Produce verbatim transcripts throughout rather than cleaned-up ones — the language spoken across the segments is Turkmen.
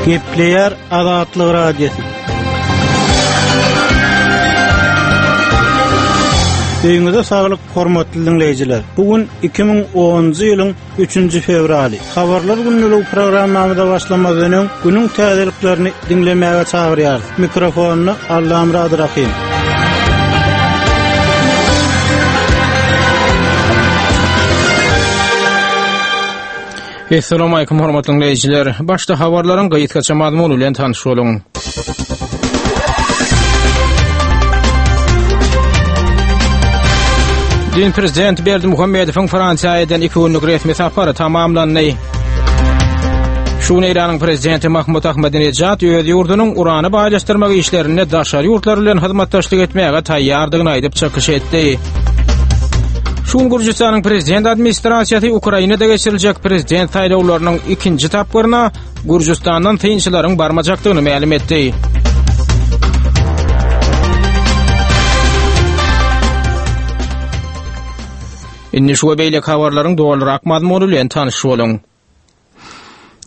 Gepleýär Azatlyk Radiosy. Öýüňize saglyk, hormatly diňleýjiler. Bu gün iki müň onunjy ýylyň üçünji fewraly. Habarlar günlügi programmamyza başlamazdan öň günüň täzeliklerini diňlemäge çagyrýarys. Mikrofonda Allamyrat Rahim. Essalamu alaykum hormatly dinleýjiler. Başda habarlaryň gysgaça mazmuny bilen tanyş boluň. Dün Prezident Berdimuhamedowyň Fransiýa eden iki günlük resmi sapary tamamlandy. Şu gün Eýranyň Prezidenti Mahmud Ahmadinejad öz ýurdunyň urany baýlaşdyrmak işlerinde daşary ýurtlar bilen hyzmatdaşlyk etmäge taýýardygyny aýdyp çykyş etdi. Şu gün Gürjüstanyň Prezident administrasiýasy Ukrainada geçiriljek prezident saýlawlarynyň ikinji tapgyryna Gürjüstandan synçylaryň barmajakdygyny mälim etdi. Indi şu we beýleki habarlaryň dolurak mazmuny bilen tanyş boluň.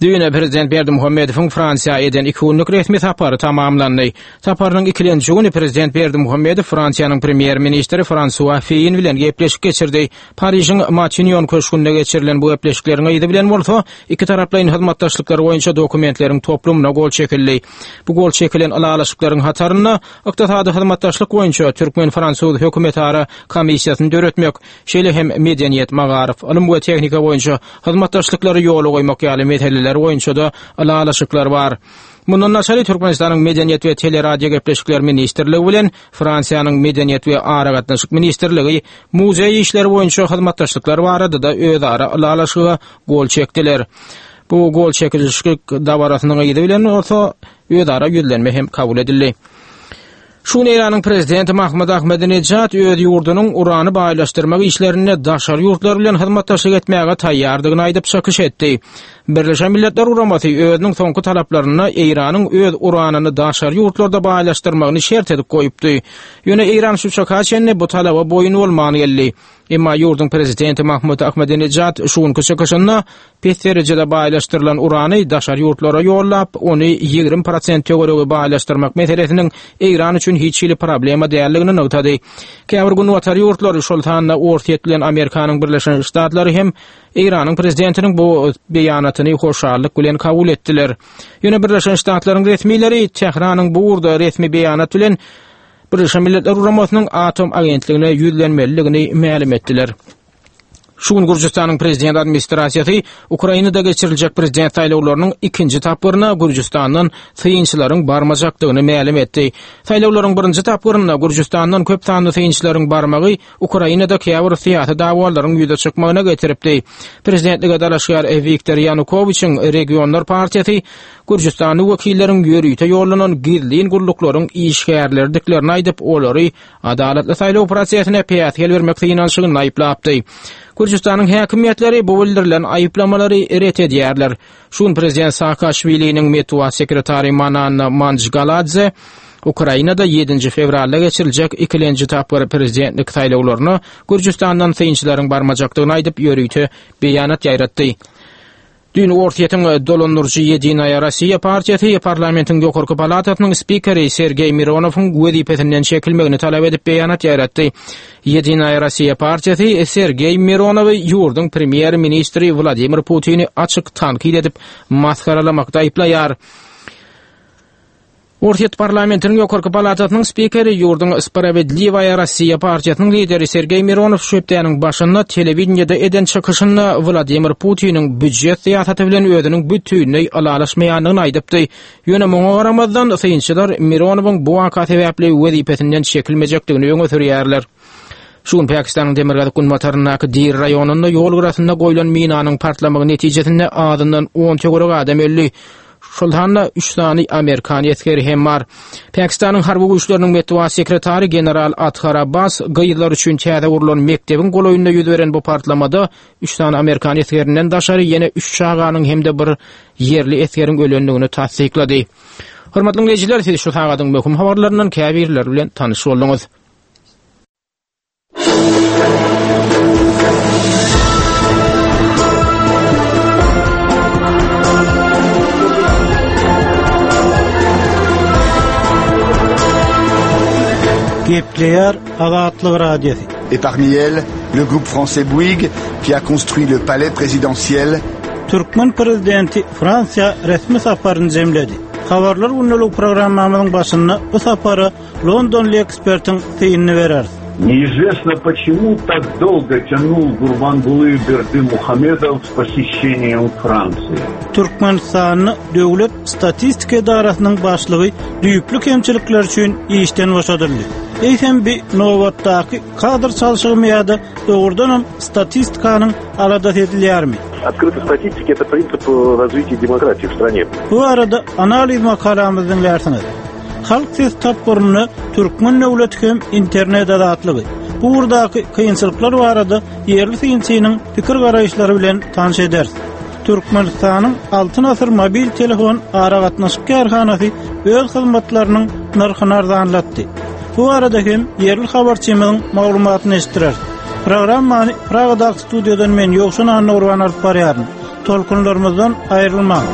Düýne Prezident Berdimuhamedowyň Fransiýa eden iki günlük resmi sapary tamamlandy. Saparynyň ikilenji güni Prezident Berdimuhamedow Fransiýanyň Premýer-ministri Fransua Feýin bilen gepleşik geçirdi. Parižiň Matinýon köşgünde geçirilen bu gepleşikleriň yzy bilen bolsa iki taraplaýyn hyzmatdaşlyklar boýunça dokumentleriň toplumyna gol çekildi. Bu gol çekilen ylalaşyklaryň hatarynda ykdysady hyzmatdaşlyk boýunça türkmen-fransuz hökümetara komissiýasyny döretmek, şeýle hem medeniýet, magaryf, ylym we tehnika boýunça hyzmatdaşlyklary ýola goýmak ýaly meseleler boýunça-da ylalaşyklar bar. Mundan daşary Türkmenistanyň Medeniýet we Teleradio gepleşikler ministrligi bilen Fransiýanyň Medeniýet we Aragatnaşyk ministrligi muzeý işleri boýunça hyzmatdaşlyklar barada-da özara ylalaşyga gol çekdiler. Bu gol çekilişlik dabarasynyň yzy bilen bolsa özara ýüzlenme hem kabul edildi. Şu gün Eýranyň Prezidenti Mahmud Ahmadinejad öz ýurdunyň urany baýlaşdyrmak işlerinde daşary ýurtlar bilen hyzmatdaşlyk etmäge taýýardygyny aýdyp çykyş etdi. Birleşen Milletler Guramasy özüniň soňky talaplarynda Eýranyň öz uranyny daşary ýurtlarda baýlaşdyrmagyny şert edip goýupdy. Ýöne Eýran şu çaka çenli bu talaba boýun bolman geldi. Emma ýurduň Prezidenti Mahmud Ahmadinejad şu günki çykyşynda pes derejede baýlaşdyrylan urany daşary ýurtlara ýollap, ony ýigrimi prosent töweregi baýlaşdyrmak meselesiniň Eýran üçin hiç hili problema däldigini nygtady. Käbir günbatar ýurtlary, şol sanda Orsýet bilen Amerikanyň Birleşen Ştatlary hem Eýranyň prezidentiniň bu beýanatyny hoşallyk bilen kabul etdiler. Ýöne Birleşen Ştatlaryň resmileri Tähranyň bu ugurda resmi beýanat bilen Birleşen Milletler Guramasynyň Atom agentligine ýüzlenmelidigini mälim etdiler. Şu gün Gürjüstanyň Prezident administrasiýasy Ukrainada geçiriljek prezident saýlawlarynyň ikinji tapgyryna Gürjüstandan synçylaryň barmajakdygyny mälim etdi. Saýlawlaryň birinji tapgyrynda Gürjüstandan köp sanly synçylaryň barmagy Ukrainada käbir syýasy dawalaryň ýüze çykmagyna getiripdi. Prezidentlige dalaşgär Wiktor Ýanukowiçiň Regionlar partiýasy Gürjüstanly wekilleriň ýörite ýollanan gizlin gulluklaryň işgärlerdiklerini aýdyp, olary adalatly saýlaw prosesine päsgel bermek synanyşygynda aýyplapdy. Gürjüstanyň häkimiýetleri bu bildirilen aýyplamalary ret edýärler. Şu gün Prezident Saakaşwiliniň metbugat sekretary Manana Manjgaladze Ukrainada ýedinji fewralda geçiriljek ikilenji tapgyr prezidentlik saýlawlaryna Gürjüstandan synçylaryň barmajakdygyny aýdyp, ýörite beýanat ýaýratdy. Düýn Orsýetiň dolandyryjy Ýedinaýa Rossiýa partiýasy parlamentiň ýokarky palatasynyň spikeri Sergeý Mironowyň wezipesinden çekilmegini talap edip beýanat ýaýratdy. Ýedinaýa Rossiýa partiýasy Sergeý Mironowy ýurduň premýer-ministri Wladimir Putini açyk tankyt edip masgaralamakda aýyplaýar. Orsýet parlamentiniň ýokarky palatasynyň spikeri, ýurduň Spravedliwaýa Rossiýa partiýasynyň lideri Sergeý Mironow şu hepdäniň başynda telewideniýede eden çykyşynda Wladimir Putiniň býujet syýasaty bilen özüniň bütinleý ylalaşmaýandygyny aýdypdy. Ýöne muňa garamazdan, synçylar Mironowyň bu waka sebäpli wezipesinden çekilmejekdigini öňe sürýärler. Şu gün Pakistanyň demirgazyk-günbataryndaky Dir raýonynda ýol gyrasynda goýlan minanyň partlamagy netijesinde azyndan on töweregi adam öldi. Şol sanda üç sany amerikan esgeri hem bar. Pakistanyň harby güýçleriniň metbugat sekretary general Athar Abbas gyzlar üçin täze gurlan mekdebiň golaýynda ýüz beren bu partlamada üç sany amerikan esgerinden daşary ýene üç çaganyň hem-de bir ýerli esgeriň ölendigini tassyklady. Hormatly diňleýjiler, siz şu sagadyň möhüm habarlaryndan käbirleri bilen tanyş bolduňyz. Gepleýär Azatlyk Radiosy. Et parmi elles, le groupe français Bouygues qui a construit le palais présidentiel. Türkmen prezidenti Fransiýa resmi saparyny jemledi. Habarlar gündelik programmamyzyň başynda bu sapara Londonly ekspertiň synyny bereris. Неизвестно почему так долго тянул Гурбангулы Бердымухамедов с посещением Франции. Türkmenistanyň Döwlet Statistika edarasynyň başlygy düýpli kemçilikler üçin işden boşadyldy. Eýsem bir nobatdaky kadr çalşygymy ýa-da dogrudanam statistikanyň aladasy edilýärmi? Открытая статистика – это принцип э, развития демократии в стране. Bu arada analiz makalamyzy diňlärsiňiz. Halk ses tapgyrynda Türkmen döwleti hem internet azatlygy. Bu ugurdaky kynçylyklar barada ýerli synçynyň pikir garaýyşlary bilen tanyş ederis. Türkmenistanyň Altyn Asyr mobil telefon aragatnaşyk kärhanasy öz hyzmatlarynyň nyrhyny arzanlatdy. Bu arada hem ýerli habarçymyzyň maglumatyny eşitdirer. Programmany Pragadaky studiýadan men Ýowşan Annagurban alyp barýaryn. Tolkunlarymyzdan aýrylmaň.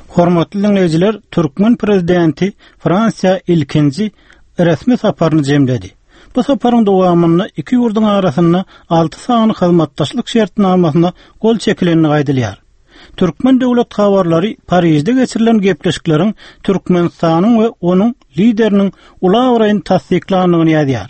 Hormatly dinleýjiler, Türkmen prezidenti Fransiýa ilkinji resmi saparyny jemledi. Bu saparyň dowamynda iki ýurduň arasynda alty sany hyzmatdaşlyk şertnamasyna gol çekilenligi aýdylýar. Türkmen döwlet habarlary Parižde geçirilen gepleşikleriň Türkmenistanyň we onuň lideriniň uly abraýyny tassyklandygyny ýazýar.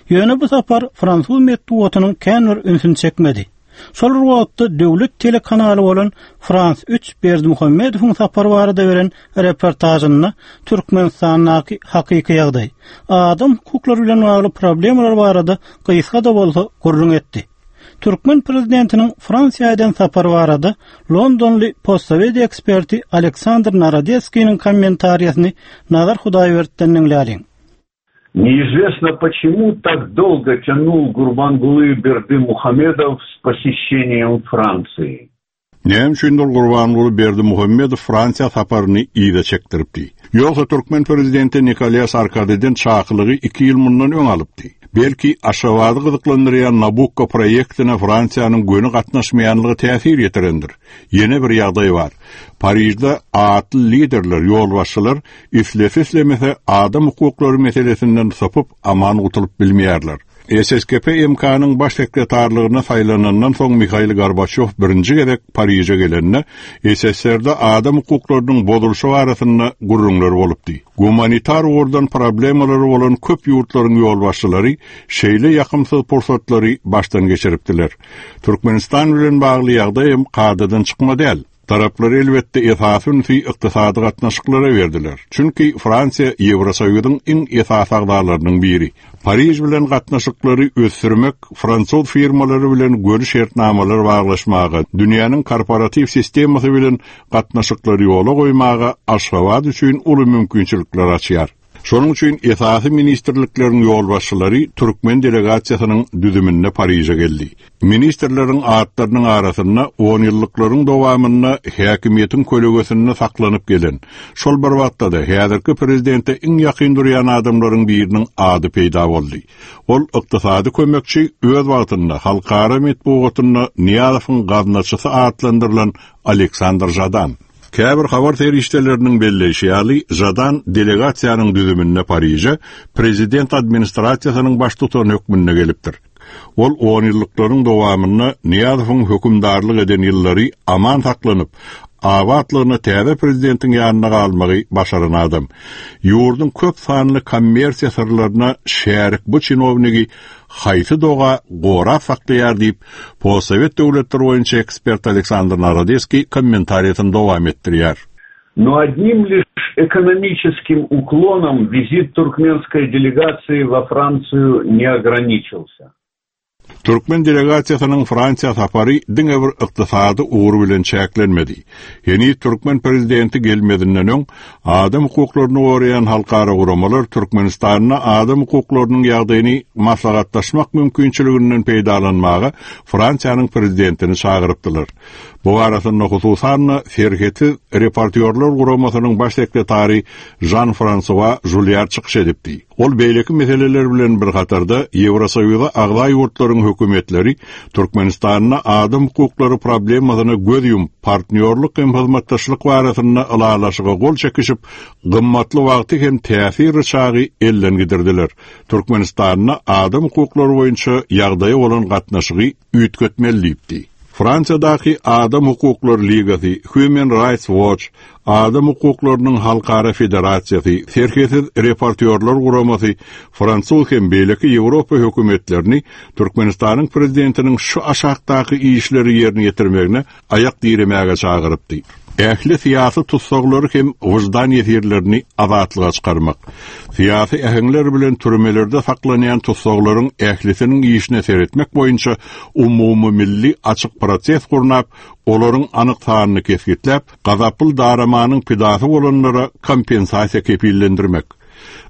Ýöne bu sapar fransuz metbugatynyň kän bir ünsüni çekmedi. Şol bir wagtda döwlet telekanaly bolan Frans üç Berdimuhamedowyň sapary barada beren reportajynda Türkmenistandaky hakyky ýagdaý, adam hukuklary bilen bagly problemalar barada gysga-da bolsa gürrüň etdi. Türkmen prezidentiniň Fransiýa eden sapary barada Londonly postsovet eksperti Aleksandr Narodetskiniň kommentariýasyny Nazar Hudaýberdi'den diňläliň. Неизвестно почему так долго тянул Гурбангулы Бердымухамедов с посещением Франции. Näme üçindir Gurbanguly Berdimuhamedow Fransiýa saparyny yza çekdiripdi. Ýogsa Türkmen prezidenti Nikolýa Sarkozy'dan çakylygy iki ýyl mundan öň alypdy. Belki Aşgabady gyzyklandyrýan Nabukko proýektine Fransiýanyň göni gatnaşmaýanlygy täsir ýetirendir. Ýene bir ýagdaý bar. Parižde atly liderler, ýolbaşçylar islese islemese adam hukuklary meselesinden sapyp aman gutulyp bilmeýärler. S S K P M K-nyň baş sekretarlygyna saýlanandan soň Mihail Gorbaçýow birinji gezek Pariže gelende S S S R-de adam hukuklarynyň bozulyşy barasynda gürrüňler bolupdy. Gumanitar ugurdan problemalary bolan köp ýurtlaryň ýolbaşçylary şeýle ýakymsyz pursatlary başdan geçiripdiler. Türkmenistan bilen bagly ýagdaý hem kadadan çykma däl. Taraplar elbetde esasy ünsi ykdysady gatnaşyklara berdiler. Çünki Fransiýa Ýewrosoýuzyň iň esasy agzalarynyň biri. Pariž bilen gatnaşyklary ösdürmek, fransuz firmalary bilen göni şertnamalar baglaşmaga, dünýäniň korporativ sistemasy bilen gatnaşyklary ýola goýmaga Aşgabat üçin uly mümkinçilikler açýar. Şonuň üçin esasy ministrlikleriň ýolbaşçylary Türkmen delegasiýasynyň düzüminde Pariže geldi. Ministrleriň atlarynyň arasynda on ýyllyklaryň dowamynda häkimiýetiň kölegesinde saklanyp gelen, şol bir wagtda da häzirki prezidente iň ýakyn durýan adamlaryň biriniň ady peýda boldy. Ol ykdysady kömekçi öz wagtynda halkara metbugatynda Nyýazowyň gaznaçysy atlandyrylan Aleksandr Žadan. Käbir habar serişdeleriniň belleýşi ýaly, Žadan delegasiýanyň düzüminde Pariže prezident administrasiýasynyň baştutany hökmünde gelipdir. Ol on ýyllyklaryň dowamynda Nyýazowyň hökümdarlyk eden ýyllary aman saklanyp, abatlygyna täze prezidentiň ýanyna galmagy başaran adam. Ýurduň köp sanly kommersiýa syrlaryna şärik bu çinownigi haýsy doga gorap saklaýar diýip, postsovet döwletleri boýunça ekspert Aleksandr Narodetskiý kommentariýasyny dowam etdirýär. Но одним лишь экономическим уклоном визит туркменской делегации во Францию не ограничился. Türkmen delegasiýasynyň Fransiýa sapary diňe bir ykdysady ugur bilen çäklenmedi. Ýeni Türkmen prezidenti gelmezinden öň adam hukuklaryny goraýan halkara guramalar Türkmenistanda adam hukuklarynyň ýagdaýyny maslahatlaşmak mümkinçiliginden peýdalanmaga Fransiýanyň prezidentini çagyrypdylar. Bu arasynda hususan Serhetsiz reportýorlar guramasynyň baş sekretary Jean-François Julliard çykyş edipdi. Ol beýleki meseleler bilen bir hatarda Ýewrosoýuza agza ýurtlaryň hökümetleri Türkmenistanda adam hukuklary problemasyna göz ýumup, partnýorlyk hem hyzmatdaşlyk barasynda ylalaşyga gol çekişip, gymmatly wagty hem täsir çagy elden gidirdiler. Türkmenistanda adam hukuklary boýunça ýagdaýy bolan gatnaşygy üýtgetmeli diýipdi. Fransiýadaky Adam Hukuklary Ligasy, Human Rights Watch, Adam Hukuklarynyň Halkara Federasiýasy, Serhetsiz reportýorlar guramasy, Fransuz hem beýleki Ýewropa hökümetlerini Türkmenistanyň prezidentiniň şu aşakdaky işleri ýerine ýetirmegine aýak diremäge çagyrypdy. Ähli syýasy tutsaglary hem wyždan ýesirlerini azatlyga çykarmak, syýasy äheňler bilen türmelerde saklanýan tutsaglaryň ählisiniň işine seretmek boýunça umumy milli açyk proses gurnap, olaryň anyk sanyny kesgitläp, gazaply daramanyň pidasy bolanlara kompensasiýa kepillendirmek.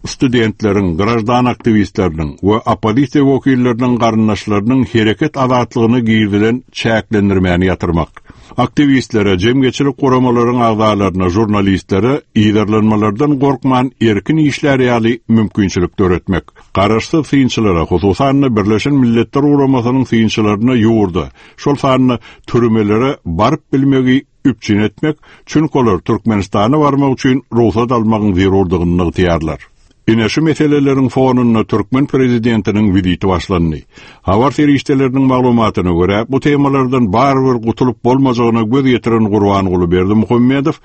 Studentleriň, graždan aktiwistleriniň we oppozisiýa wekilleriniň garyndaşlarynyň hereket azatlygyna girizilen çäklendirmäni ýatyrmak. Aktiwistlere, jemgyýetçilik guramalaryň agzalaryna, žurnalistlere ýerlenmelerden gorkman erkin işler ýaly mümkinçilik döretmek. Garaşsyz synçylara, hususan Birleşen Milletler Guramasynyň synçylaryna ýurda, şol sanda türmelere baryp bilmegi üpjün etmek, çünki olar Türkmenistana barmak üçin rugsat almagyň zerurdygyny nygtaýarlar. Ine şu meseleleriň fonunda Türkmen prezidentiniň wiziti başlandy. Habar serişdeleriniň maglumatyna görä, bu temalardan barybir gutulyp bolmajagyna göz ýetiren Gurbanguly Berdimuhamedow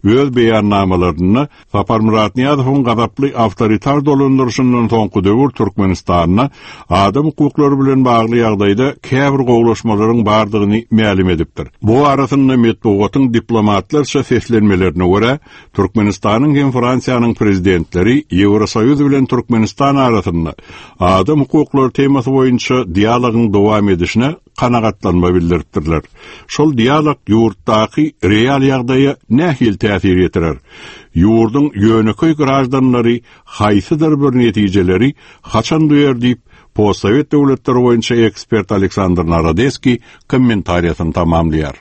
öz beýannamalarynda Saparmyrat Nyýazowyň gazaply awtoritar dolandyryşyndan soňky döwür Türkmenistanda adam hukuklary bilen bagly ýagdaýda käbir gowlaşmalaryň bardygyny mälim edipdir. Bu arasynda metbugatyň diplomatlarça seslenmelerine görä, Türkmenistanyň hem Fransiýanyň prezidentleri Ýewrosoýuz bilen Türkmenistan arasynda adam hukuklary temasy boýunça dialogyň dowam edişine kanagatlanma bildiripdirler. Şol dialog ýurtdaky real ýagdaýa nähili täsir ýetirer? Ýurduň ýönekeý graždanlary haýsydyr bir netijeleri haçan duýar diýip, postsowet döwletleri boýunça ekspert Aleksandr Narodeskiý kommentariýasyny tamamlaýar.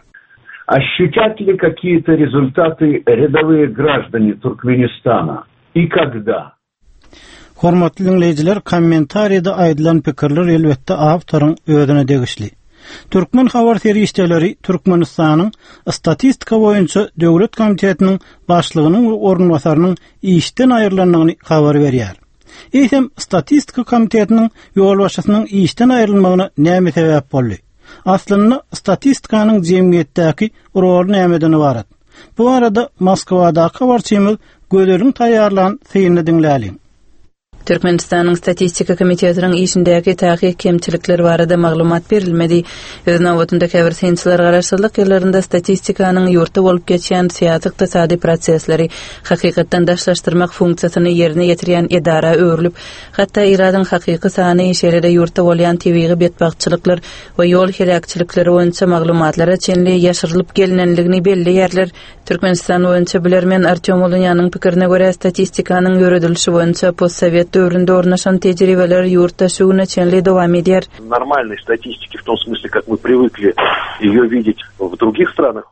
Ощутят ли какие-то результаты рядовые граждане Туркменистана и когда? Hormatly dinleýjiler, kommentariýada aýdylan pikirler elbetde awtoryň özüne degişli. Türkmen habar serişdeleri Türkmenistanyň statistika boýunça döwlet komitetiniň başlygynyň we orunbasarynyň işden aýrylandygyny habar berýär. Eýsem statistika komitetiniň ýolbaşçysynyň işden aýrylmagyna näme sebäp boldy? Aslynda statistikanyň jemgyýetdäki roly nämeden ybarat? Bu arada Moskwadaky habarçymyz Gözeliň taýýarlan synyny diňläliň. Türkmenistanyň Statistika komitetiniň işindäki takyk kemçilikler barada maglumat berilmedi. Öz nobatynda käbir synçylar garaşsyzlyk ýyllarynda statistikanyň ýurtda bolup geçýän syýasy ykdysady prosesleri hakykatdan daşlaşdyrmak funksiýasyny ýerine ýetirýän edara öwrülip, hatda ilatyň hakyky sany şeýle-de ýurtda bolýan tebigy betbagtçylyklar we ýol heläkçilikleri boýunça maglumatlara çenli ýaşyrylyp gelinenligini belleýärler. Türkmenistan boýunça bilermen Artyom Ulunýanyň pikirine görä statistikanyň ýöredilişi boýunça postsowet döwründe ornaşan tejribeler ýurtda şu güne çenli dowam edýär. Нормальной статистики в том смысле, как мы привыкли ее видеть в других странах.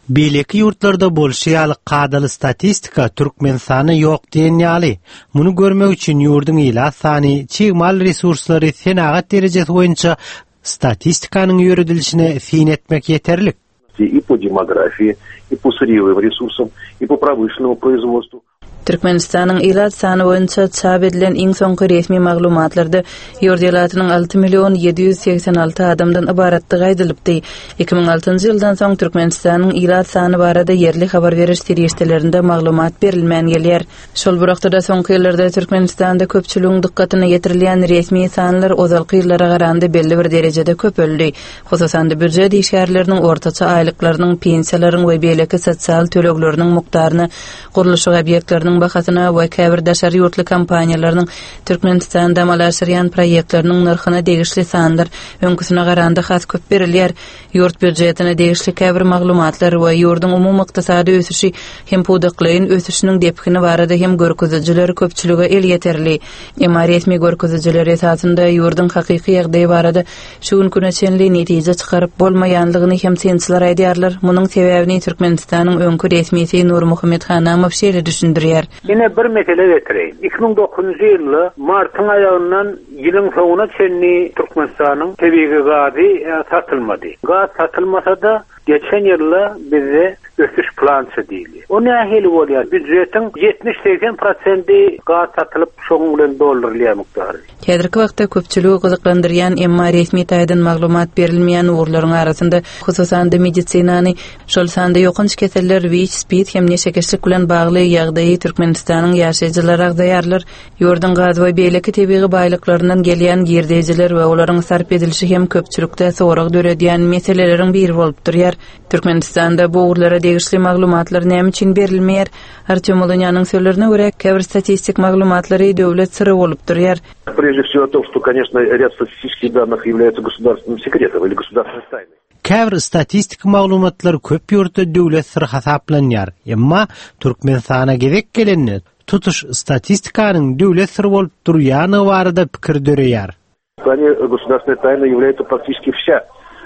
Beýleki ýurtlarda bolşy ýaly kadaly statistika Türkmenistanda ýok diýen ýaly. Muny görmek üçin ýurduň ilat sany, çig mal resurslary, senagat derejesi boýunça statistikanyň ýöredilişine syn etmek ýeterlik. И по демографии, и по сырьевым ресурсам, и по промышленному производству. Türkmenistanyň ilat sany boýunça çap edilen iň soňky resmi maglumatlarda ýurt ilatynyň alty million ýedi ýüz segsen alty adamdan ybaratdygy aýdylypdy. Iki müň altynjy ýyldan soň Türkmenistanyň ilat sany barada ýerli habar beriş serişdelerinde maglumat berilmän gelýär. Şol bir wagtda soňky ýyllarda Türkmenistanda köpçüligiň dykgatyna ýetirilýän resmi sanlar ozalky ýyllara garanda belli bir derejede köpeldi. Hususan-da býujet işgärleriniň ortaça aýlyklarynyň, pensiýalaryň we beýleki sosial tölegleriniň mukdaryny, gurluşyk obýektleriniň manadyň bahasyna we käbir daşary ýurtly kompaniýalarynyň Türkmenistanda amala aşyrýan proýektleriniň nyrhyna degişli sanlar öňküsine garanda has köp berilýär. Ýurt býujetine degişli käbir maglumatlar we ýurduň umumy ykdysady ösüşi hem pudaklaýyn ösüşiniň depgini barada hem görkezijiler köpçülige elýeterli. Emma resmi görkezijiler esasynda ýurduň hakyky ýagdaýy barada şu günküne çenli netije çykaryp bolmaýanlygyny hem synçylar aýdýarlar. Munuň sebäbini Türkmenistanyň öňki resmisi Nurmuhammet Hanamow şeýle düşündirýär. Ýene bir mesele getireýin. iki müň dokuzynjy ýylda martyň aýagyndan ýylyň soňuna çenli Türkmenistanyň tebigy gazy satylmady. Gaz satylmasa da geçen ýylda bizde ösüş plança diýildi. O nähili bolýar? Býujetiň ýetmiş segsen prosenti gaz satylyp şoň bilen doldurylýar mukdary. Häzirki wagtda köpçüligi gyzyklandyrýan emma resmi taýdan maglumat berilmeýän ugurlaryň arasynda hususan-da medisinany, şol sanda ýokanç keseller, WIÇ, SPID hem neşekeşlik bilen bagly ýagdaýy Türkmenistanyň ýaşaýjylary agzaýarlar. Ýurduň gaz we beýleki tebigy baýlyklaryndan gelýän girdejiler we olaryň sarp edilişi hem köpçülikde sorag döredýän meseleleriň biri bolup durýar. Türkmenistanda bu ugurlara degişli maglumatlar näme üçin berilmeýär? Artyom Ulunýanyň sözlerine görä, käbir statistik maglumatlary döwlet syry bolup durýar. Прежде всего о том, что, конечно, ряд статистических данных является государственным секретом или государственной тайной. Käbir statistik maglumatlar köp ýurtda döwlet syry hasaplanýar. Emma Türkmenistana gezek gelende tutuş statistikanyň döwlet syry bolup durýany barada pikir döreýär. В плане государственной тайны является практически вся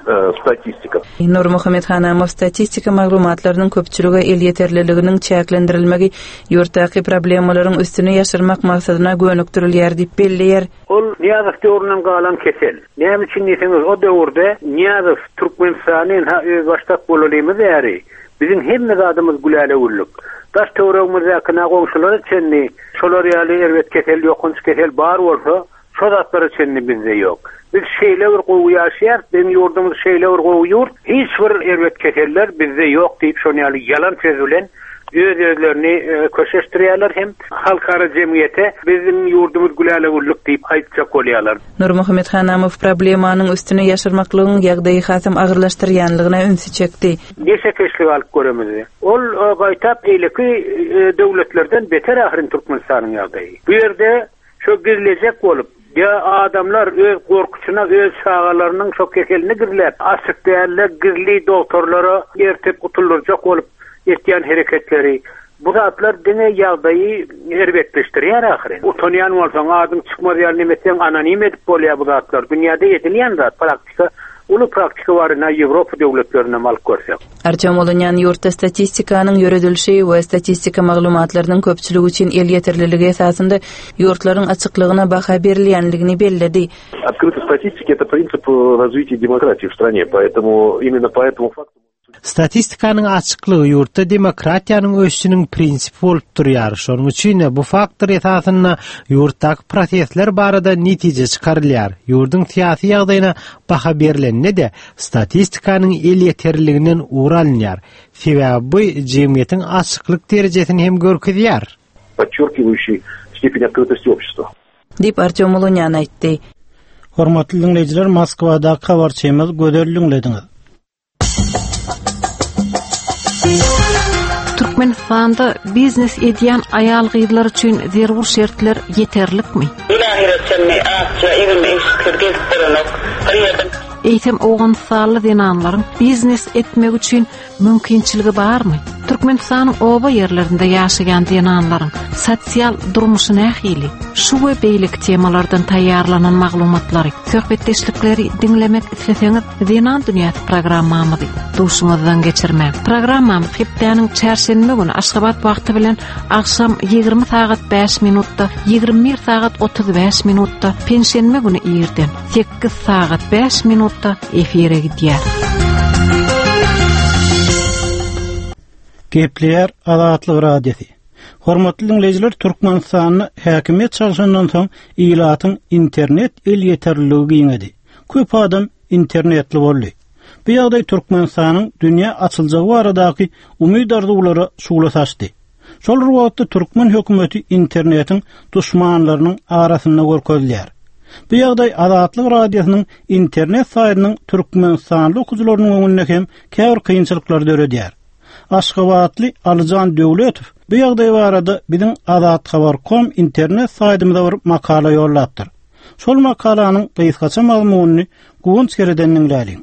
э, статистика. Nurmuhammet Hanamow statistika maglumatlarynyň köpçülige elýeterliliginiň çäklendirilmegi ýurtdaky problemalaryň üstüne ýaşyrmak maksadyna gönükdirilýär diýip belleýär. Ol Niýazow döwründen galan kesel. Näme üçin diýseňiz, o döwürde Niýazow Türkmenistanyň ha öz başdak bolalymyz ýeri. Biziň hemme zadymyz güläle güllük. Daş töweregimizdäki goňşulara çenli şolar ýaly erbet kesel, ýokanç kesel bar bolsa, şo zatlara çenli bizde ýok. Biz şeýle bir gowy ýaşaýarys, biziň ýurdumyz şeýle bir gowy ýurt, hiç bir erbet keseller bizde ýok diýip şony ýaly ýalan söz bilen öz özlerini e, köşeşdirýärler hem halkara jemgyýete biziň ýurdumyz güläle güllük diýip aýtjak bolýarlar. Nurmuhammet Hanamow problemanyň üstüne ýaşyrmaklygyň ýagdaýy hasam agyrlaşdyrýanlygyna ünsi çekdi. Neşekeşlik alyp göremizdi. Ol e, gaýtap eýleki e, döwletlerden beter ahyryn Türkmenistanyň ýagdaýy. Bu ýerde şo gizlejek bolup ya adamlar öz gorkusyna, öz çağalarının şo keselini gizläp, açyk dälle gizli doktorlara ertip gutuldurjak bolup etýän hereketleri bu zatlar diňe ýagdaýy erbetleşdirýär ahyryn. Utanýan bolsaň, adyň çykmaz ýaly nemetseň anonim edip bolýar bu zatlar. Dünýäde edilýän zat praktika, uly praktika bar ina Ýewropa döwletlerinde alyp görsek. Artyom Ulunýan ýurtda statistikanyň ýöredilişi we statistika maglumatlarynyň köpçüligi üçin elýeterliligi esasynda ýurtlaryň açyklygyna baha berilýänligini belledi. Открытость статистики это принцип э, развития демократии в стране, поэтому именно по этому факту Statistikanyň açyklygy ýurtda demokratiýanyň ösüşiniň prinsipi bolup durýar. Şonuň üçin bu faktor esasynda ýurtdaky prosesler barada netije çykarylýar. Ýurduň syýasy ýagdaýyna baha berilende de statistikanyň elýeterliliginden ugur alynýar. Sebäbi bu jemgyýetiň açyklyk derejesini hem görkezýär. подчеркивающий степень открытости общества. Diýip Artyom Ulunýan aýtdy. Hormatly dinleýjiler, Moskwadaky habarçymyz Gözel diňlediňiz. Türkmenistanda biznes edýän aýal gyzlar üçin zerur şertler ýeterlikmi? Eýsem Owganystanly zenanlaryň biznes etmek üçin mümkinçiligi barmy? Türkmenistanyň oba ýerlerinde ýaşaýan zenanlaryň sosial durmuşy nähili? Şu we beýleki temalardan taýýarlanan maglumatlary, söhbetdeşlikleri diňlemek isleseňiz, Zenan Dünýäsi programmamyzy duşuňyzdan geçirmäň. Programmamyz hepdäniň çarşenbe güni Aşgabat wagty bilen agşam ýigrimi sagat bäş minutda, ýigrimi bir sagat otuz bäş minutda, penşenbe güni irden sekiz sagat bäş minutda efire gidýär. Gepleýär Azatlyk Radiosy. Hormatly dinleýjiler, Türkmenistanda häkimiýet çalşandan soň ilatyň internet elýeterliligi giňedi. Köp adam internetli boldy. Bu ýagdaý Türkmenistanyň dünýä açyljagy baradaky umyt arzuwlara şugla saçdy. Şol bir wagtda türkmen hökümeti internetiň duşmanlarynyň arasynda görkezilýär. Bu ýagdaý Azatlyk Radiosynyň internet saýtynyň Türkmenistanly okyjylarynyň öňünde hem käbir kynçylyklary döredýär. Aşgabatly Alyjan Döwletow bu ýagdaý barada biziň azathabar.com internet saýtymyza bir makala ýollapdyr. Şol makalanyň gysgaça mazmunyny Guwanç Kereden diňläliň.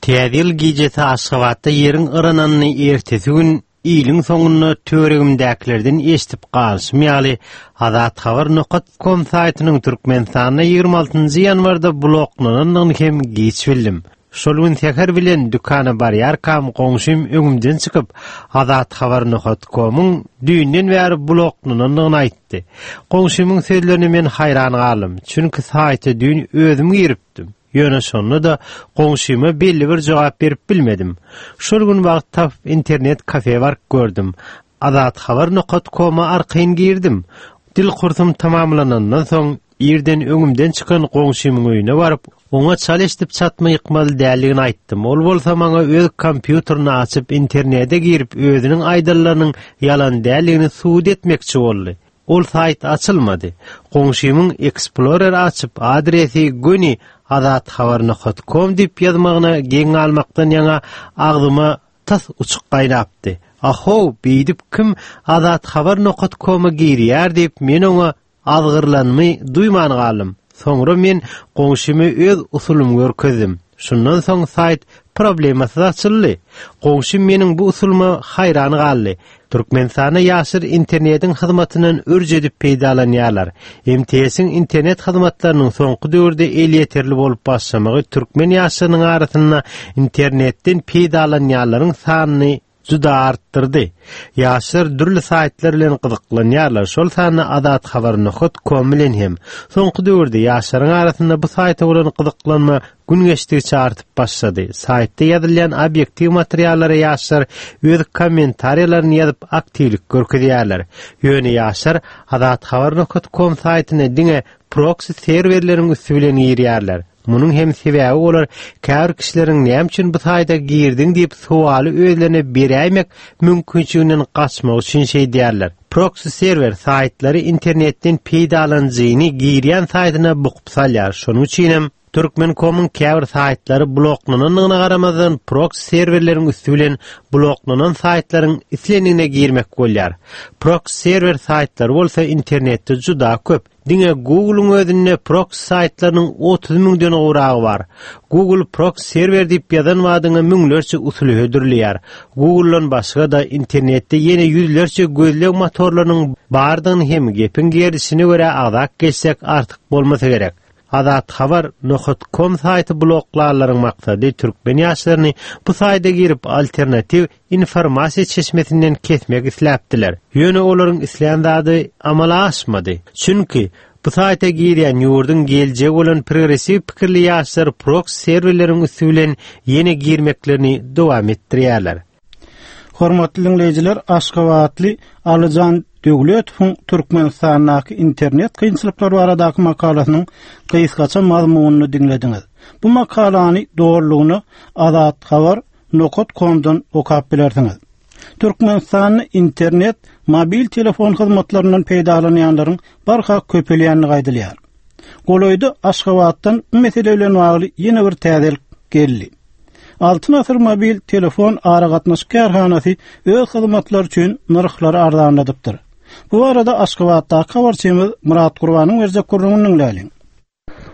Täze ýyl gijesi Aşgabatda ýeriň yrananyny ertesi gün iliň soňunda töweregimdäkilerden eşidip galyşym ýaly azathabar.com saýtynyň Türkmenistanda ýigrimi altynjy ýanwarda bloklanandygyny hem geç bildim. Şol gün seher bilen dükana barýarkam goňşym öňümden çykyp azathabar.com'yň düýnden bäri bloklanandygyny aýtdy. Goňşymyň sözlerine men haýran galdym. Çünki saýta düýn özüm giripdim. Ýöne şonda da goňşyma belli bir jogap berip bilmedim. Şol gün wagt tapyp internet kafe baryp gördüm. Azathabar.com'a arkaýyn girdim. Dil kursum tamamlanandan soň irden öňümden çykan goňşymyň öýüne baryp, oňa çal eşidip çatma ýykmaly däldigini aýtdym. Ol bolsa maňa öz kompýuterini açyp internete girip özüniň aýdanlarynyň ýalan däldigini subut etmekçi boldy. Ol saýt açylmady. Goňşymyň Explorer açyp adresi göni azathabar.com diýip ýazmagyna geň almakdan ýaňa agzyma tas uçuk gaýnapdy. Aho, beýdip kim azathabar.com'a girýär diýip men oňa azgyrlanymy duýman galdym. Soňra men goňşymy öz usulymy görkezdim. Şundan soň saýt problemasyz açyldy. Goňşym meniň bu usulyma haýran galdy. Türkmenistanda ýaşlar internetiň hyzmatyndan ürç edip peýdalanýarlar. M T S-iň internet hyzmatlarynyň soňky döwürde elýeterli bolup başlamagy türkmen ýaşlarynyň arasynda internetden peýdalanýanlaryň sanyny juda artdyrdy. Ýaşlar dürli saýtlar bilen gyzyklanýarlar. Şol sanda azathabar.com bilen hem. Soňky döwürde ýaşlaryň arasynda bu saýta bolan gyzyklanma gün geçdikçe artyp başlady. Saýtda ýazylýan obyektiw materiallara ýaşlar öz kommentariýalaryny ýazyp aktiwlik görkezýärler. Ýöne ýaşlar azathabar.com saýtyna diňe proxy serwerleriň üsti bilen girýärler. Munuň hem sebäbi olar käbir kişileriň näme üçin bu saýta girdiň diýip sowaly özlerine beräýmek mümkinçiliginden gaçmak üçin şey diýerler. Proxy serwer saýtlary internetden peýdalanyjyny girýän saýtyna bukup salýar. Şonuň üçin hem Türkmen.com'yň käbir saýtlary bloklanandygyna garamazdan proxy serwerleriň üsti bilen bloklanan saýtlaryň islendigine girmek bolýar. Proxy serwer saýtlary bolsa internetde juda köp. Diňe Google'yň özünde proxy saýtlarynyň otuz müňden gowragy bar. Google proxy serwer diýip ýazan wadyňa müňlerçe usuly hödürleýär. Google'dan başga da internetde ýene ýüzlerçe gözleg motorlarynyň bardygyny hem gepiň gerdişine görä agzak geçsek artyk bolmasa gerek. Azathabar.com saýty bloklarlaryň maksady türkmen ýaşlaryny bu saýta girip alternatiw informasiýa çeşmesinden kesmek isläpdiler. Ýöne olaryň islän zady amala aşmady. Çünki bu saýta girýän ýurduň geljegi bolan progressiw pikirli ýaşlar proxy serwerleriň üsti bilen ýene girmeklerini dowam etdirýärler. Hormatly dinleýjiler, Aşgabatly Alyjan Döwletowyň Türkmenistandaky internet kynçylyklary baradaky makalasynyň gysgaça mazmunyny diňlediňiz. Bu makalany dogrulygyna azathabar.com'dan okap bilersiňiz. Türkmenistanda internet mobil telefon hyzmatlaryndan peýdalanýanlaryň barha köpelýänligi aýdylýar. Golaýda Aşgabatdan bu mesele bilen bagly ýene bir täzelik geldi. Altyn Asyr mobil telefon aragatnaşyk kärhanasy öz hyzmatlary üçin nyrhlary arzanladypdyr. Bu arada Aşgabatdaky habarçymyz Murat Gurbanyň berjek gürrüňini diňläliň.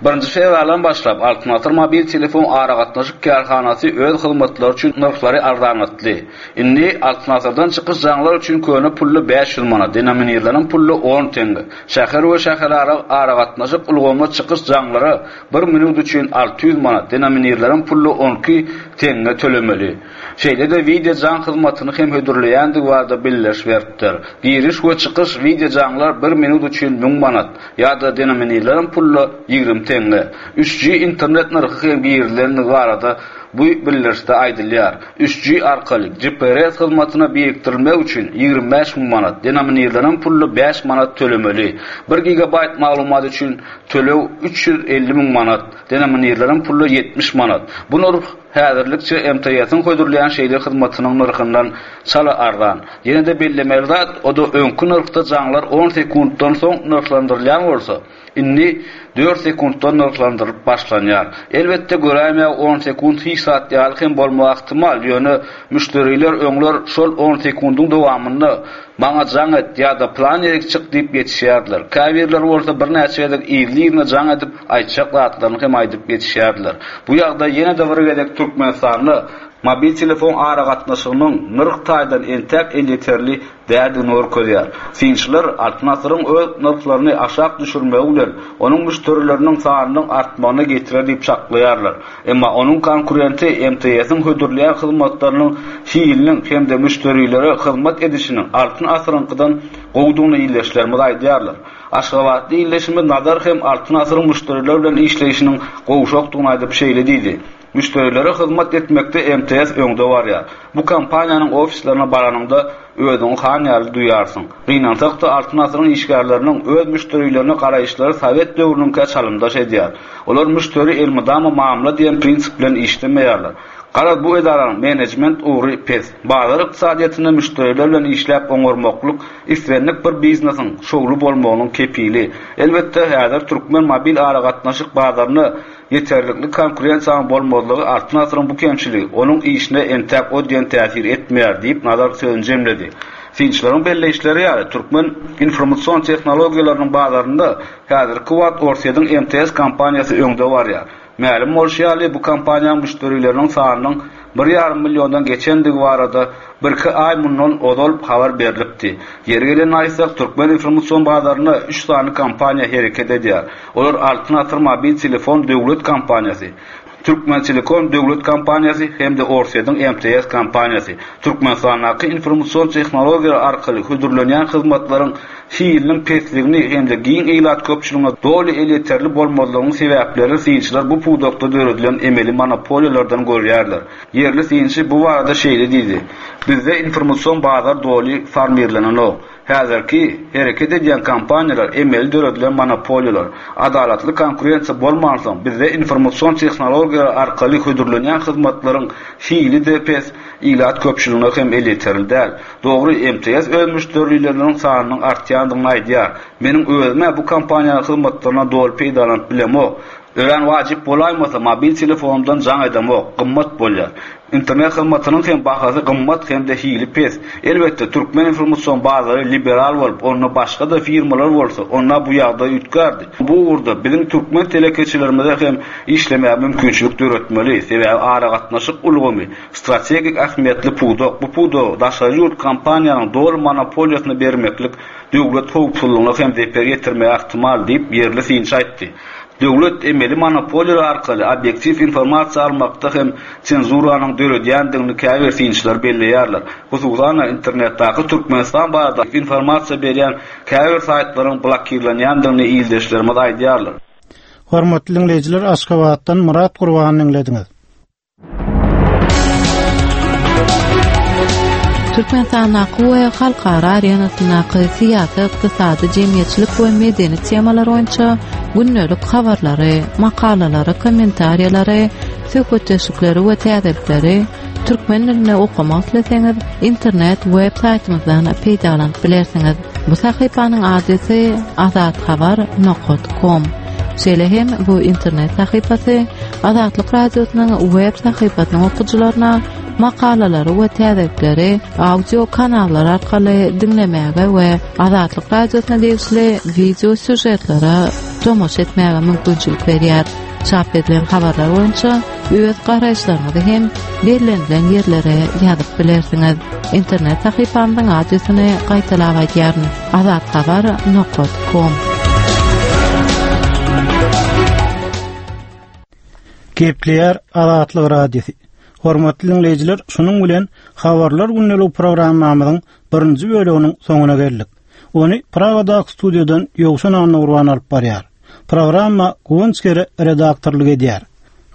Birinji fewraldan başlap Altyn Asyr mobil telefon aragatnaşyk kärhanasy öz hyzmatlary üçin nyrhlary arzanlatdy. Indi Altyn Asyrdan çykyş jaňlar üçin köne pully bäş ýüz manat, denominirlenen pully on tenge. Şäher we şäherara aragatnaşyk ulgamyna çykyş jaňlara bir minut üçin alty ýüz manat, denominirlenen pully on iki tenge tölemeli. Şeýle-de video jaň hyzmatyny hem hödürleýändigi barada bildiriş beripdir. Giriş we çykyş video jaňlar bir minut üçin müň manat ýa-da denominirlenen pully ýigrimi tenge. üç G internet nyrhy hem girilendigi barada bu bildirişde aýdylýar. üç G arkaly G P S hyzmatyna birikdirilmek üçin ýigrimi bäş müň manat, denominirlenen pully bäş manat tölemeli. bir gigabayt maglumat üçin töleg üç ýüz elli müň manat, denominirlenen pully ýetmiş manat. Bu nyrh häzirlikçe M T S-iň hödürleýän şeýle hyzmatynyň nyrhyndan çala arzan. Ýene-de bellemeli zat, o da öňki nyrhda jaňlar on sekuntdan soň nyrhlandyrylýan bolsa, indi dört sekuntdan nyrhlandyrylyp başlanýar. Elbetde göräýmäge on sekunt hiç hiç zat ýaly hem bolmagy ähtimal, ýöne müşderiler öňler şol on sekundyň dowamynda maňa jaň et ýa-da plan ýerik çyk diýip ýetişýärdiler. Käbirleri bolsa birnäçe gezek yzly-yzyna jaň edip aýtjak zatlaryny hem aýdyp ýetişýärdiler. Bu ýagdaý ýene-de bir gezek Türkmenistanda mobil telefon aragatnaşygynyň nyrh taýdan entäk elýeterli däldigini görkezýär. Synçylar Altyn Asyryň öz nyrhlaryny aşak düşürmegi bilen onuň müşderileriniň sanynyň artmagyna getirer diýip çaklaýarlar. Emma onuň konkurenti M T S-iň hödürleýän hyzmatlarynyň hiliniň hem-de müşderilere hyzmat edişiniň Altyn Asyryňkydan gowudygyny ildeşlerimiz aýdýarlar. Aşgabatly ildeşimiz Nazar hem Altyn Asyryň müşderiler bilen işleýşiniň gowşakdygyny aýdyp şeýle diýdi. Müşderilere hyzmat etmekde M T S öňde barýar. Bu kompaniýanyň ofislerine baranyňda özüňi han ýaly duýarsyň. Gynansak-da Altyn Asyryň işgärleriniň öz müşderilerine garaýyşlary Sowet döwrüniňkä çalymdaş edýär. Olar müşderi elmydama mamla diýen prinsip bilen işlemeýärler. Garaz bu edaranyň menejment ugry pes. Bazar ykdysadyýetinde müşderiler bilen işläp oňarmaklyk islendik bir biznesiň şowly bolmagynyň kepili. Elbetde häzir türkmen mobil aragatnaşyk bazaryna ýeterlikli konkurensiýanyň bolmazlygy Altyn Asyryň bu kemçiligi onuň işine entäk o diýen täsir etmeýär diýip Nazar sözüni jemledi. Synçylaryň belleýişleri ýaly türkmen informasion tehnologiýalarynyň bazarynda häzirki wagt Orsýetiň M T S kompaniýasy öňde barýar. Mälim bolşy ýaly bu kompaniýanyň müşderileriniň sanynyň bir ýarym milliondan geçendigi barada bir-iki aý mundan ozal habar berilipdi. Ýeri gelen aýtsak, türkmen informasion bazarynda üç sany kompaniýa hereket edýär. Olar Altyn Asyr mobil telefon döwlet kompaniýasy, Türkmen Telekom döwlet kompaniýasy hem-de Orsýetiň M T S kompaniýasy. Türkmenistandaky informasion tehnologiýalar arkaly hödürlenýän hyzmatlaryň hiliniň pesligini hem-de giň ilat köpçüligine doly elýeterli bolmazlygynyň sebäplerini synçylar bu pudakda döredilen emeli monopoliýalardan görýärler. Ýerli synçy bu barada şeýle diýdi: Bizde informasion bazar doly formirlenenok. Häzirki hereket edýän kompaniýalar emeli döredilen monopoliýalar. Adalatly konkurensiýa bolmansoň bizde informasion tehnologiýalar arkaly hödürlenýän hyzmatlaryň hili-de pes, ilat köpçüligine hem elýeterli däl. Dogry, M T S öz müşderileriniň sanynyň artýandygyny aýdýar. Meniň özüme bu kompaniýanyň hyzmatlaryna doly peýdalanyp bilemok. Örän wajyp bolaýmasa mobil telefonumdan jaň edemok, gymmat bolýar. Internet hyzmatynyň hem bahasy gymmat hem-de hili pes. Elbetde türkmen informasion bazary liberal bolup, onda başga-da firmalar bolsa, onda bu ýagdaý üýtgärdi. Bu ugurda biziň türkmen telekeçilerimize hem işlemäge mümkinçilik döretmeli. Sebäbi aragatnaşyk ulgamy strategik ähmiýetli pudak. Bu pudagy daşary ýurt kompaniýanyň doly monopoliýasyna bermeklik döwlet howpsuzlygyna hem zeper ýetirmegi ähtimal diýip ýerli synçy aýtdy. Döwlet emeli monopoliýalar arkaly obýektiw informasiýa almakda hem senzuranyň döredýändigini käbir synçylar belleýärler. Hususan internetdäki Türkmenistan barada informasiýa berýän käbir saýtlaryň blokirlenýändigini ildeşlerimiz aýdýarlar. Hormatly dinleýjiler, Aşgabatdan Murat Gurbany dinlediňiz. Türkmenistandaky we halkara arenasyndaky syýasy, ykdysady, jemgyýetçilik we medeni temalar boýunça gündelik habarlary, makalalary, kommentariýalary, söhbetdeşlikleri we täzelikleri türkmen dilinde okamak isleseňiz, internet web saýtymyzdan peýdalanyp bilersiňiz. Bu sahypanyň adresi azathabar nokta com. Şeýle hem bu internet sahypasy Azatlyk Radiosynyň web sahypasynyň okyjylaryna makalalary we täzelikleri audio kanallar arkaly diňlemäge we Azatlyk Radiosyna degişli video sýužetlere tomaşa etmäge mümkinçilik berýär. Çap edilen habarlar boýunça öz garaýyşlaryňyzy hem bellenilen ýerlere ýazyp bilersiňiz. Internet sahypamyzyň adresini gaýtalap aýdýaryn: azathabar nokta com. Gepleýär Azatlyk Radiosy. Hormatly dinleýjiler, şunuň bilen Habarlar gündelik programmamyzyň birinji bölüminiň soňuna geldik. Ony Pragadaky studiýadan Ýowşan Annagurban alyp barýar. Programma Guwanç Kere redaktorlyk edýär.